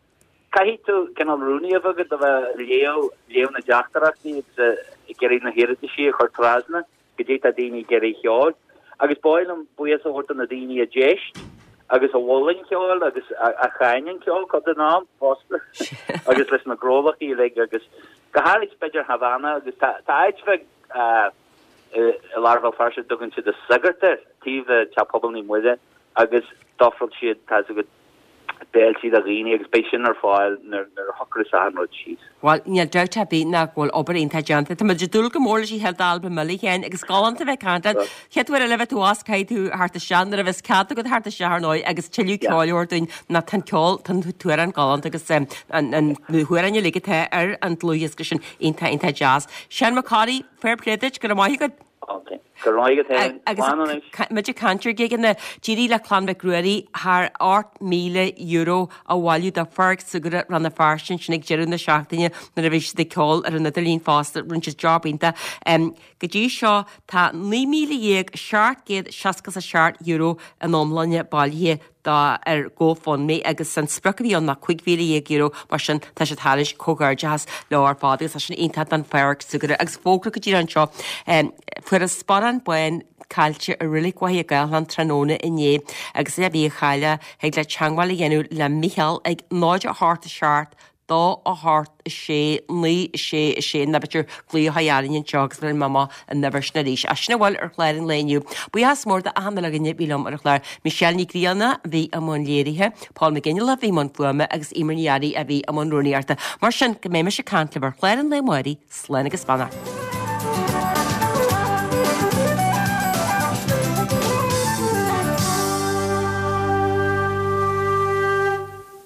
[SPEAKER 7] caithfidh tú cineál rúnaí a bheith agat a bheith ag léamh, léamh na dteachtaireachtaí agus ag iarraidh na hiarrataisí a chur trasna go dtí tá daoine ag iarraidh cheoil. Agus ba mhaith liom buíochas a thabhairt do na daoine a d'éist
[SPEAKER 10] agus a mhol an ceol agus a cháin an ceol cuid den am fosta agus leis na gnólachtaí uilig agus go háirid b'fhéidir Havana agus tá áit bheag i lár Bhéal Feirste a dtugann siad an Sagart air taobh le Teach Pobail Naomh Muire agus d'ofráil siad tá a fhios agat béiltí do dhaoine agus beidh sin ar fáil nuair a shocróidh achan rud síos.
[SPEAKER 1] Bhuel, níl dabht ar bith ná go bhfuil obair iontach déanta. Tá muid ag dúil go mór leis an chéad albam eile, a Sheáin, agus galánta a bheith ag caint leat. Chéad uair eile a bheidh tú abhus caithfidh tú theacht isteach nuair a bheas cead agat theacht isteach ar ndóigh agus tuilleadh ceoil a thabhairt dúinn nó tá an ceol, tá an t-amhrán galánta agus na hamhráin uilig atá ar an dlúthdhiosca sin iontach iontach deas. Seán Mac Corraidh, fair play duit, go raibh maith agat.
[SPEAKER 10] Ok. Go raibh maith agat féin.
[SPEAKER 1] Agus
[SPEAKER 10] Slán anois.
[SPEAKER 1] muid ag caint ar gigeanna, d'éirigh le Clann Mhic Ruairí thar ocht míle euro a bhailiú do Pháirc Súgartha Rann na Feirste ansin ag deireadh na seachtaine nuair a bhí siad ag ceol ar an idirlíon fosta. Rinne siad job iontach. Go dtí seo tá naoi míle dhéag seacht gcéad seasca is a seacht euro in iomláine bailithe do ar GoFundMe agus an sprioc a bhí ann ná cúig mhíle dhéag euro mar sin tá siad thairis comhghairdeachas leo ar fad agus tá sin iontach don Pháirc Súgartha agus fógra go díreach anseo fuarthas sparán bán caillte i Reilig Mhachaire Gathlán tráthnóna inné agus é a bhí a chailleadh thig leat teagmháil a dhéanamh le Micheál ag náid a hocht a seacht dó a hocht a sé naoi a sé a sé nó b'fhéidir glaoch a orainn anseo agus bheir mé amach an uimhir sin arís. Ach sin a bhfuil ar chlár an lae inniu. Buíochas mór d'achan uile dhuine a bhí liom ar an chlár. Michelle Ní Ghrianna a bhí i mbun léirithe, Paul McGinley a bhí i mbun fuaime agus Eimear Ní Fhearraigh a bhí i mbun rúnaíochta. Mar sin, go mbeidh mise ag caint libh ar chlár an lae amárach, slán agus beannacht.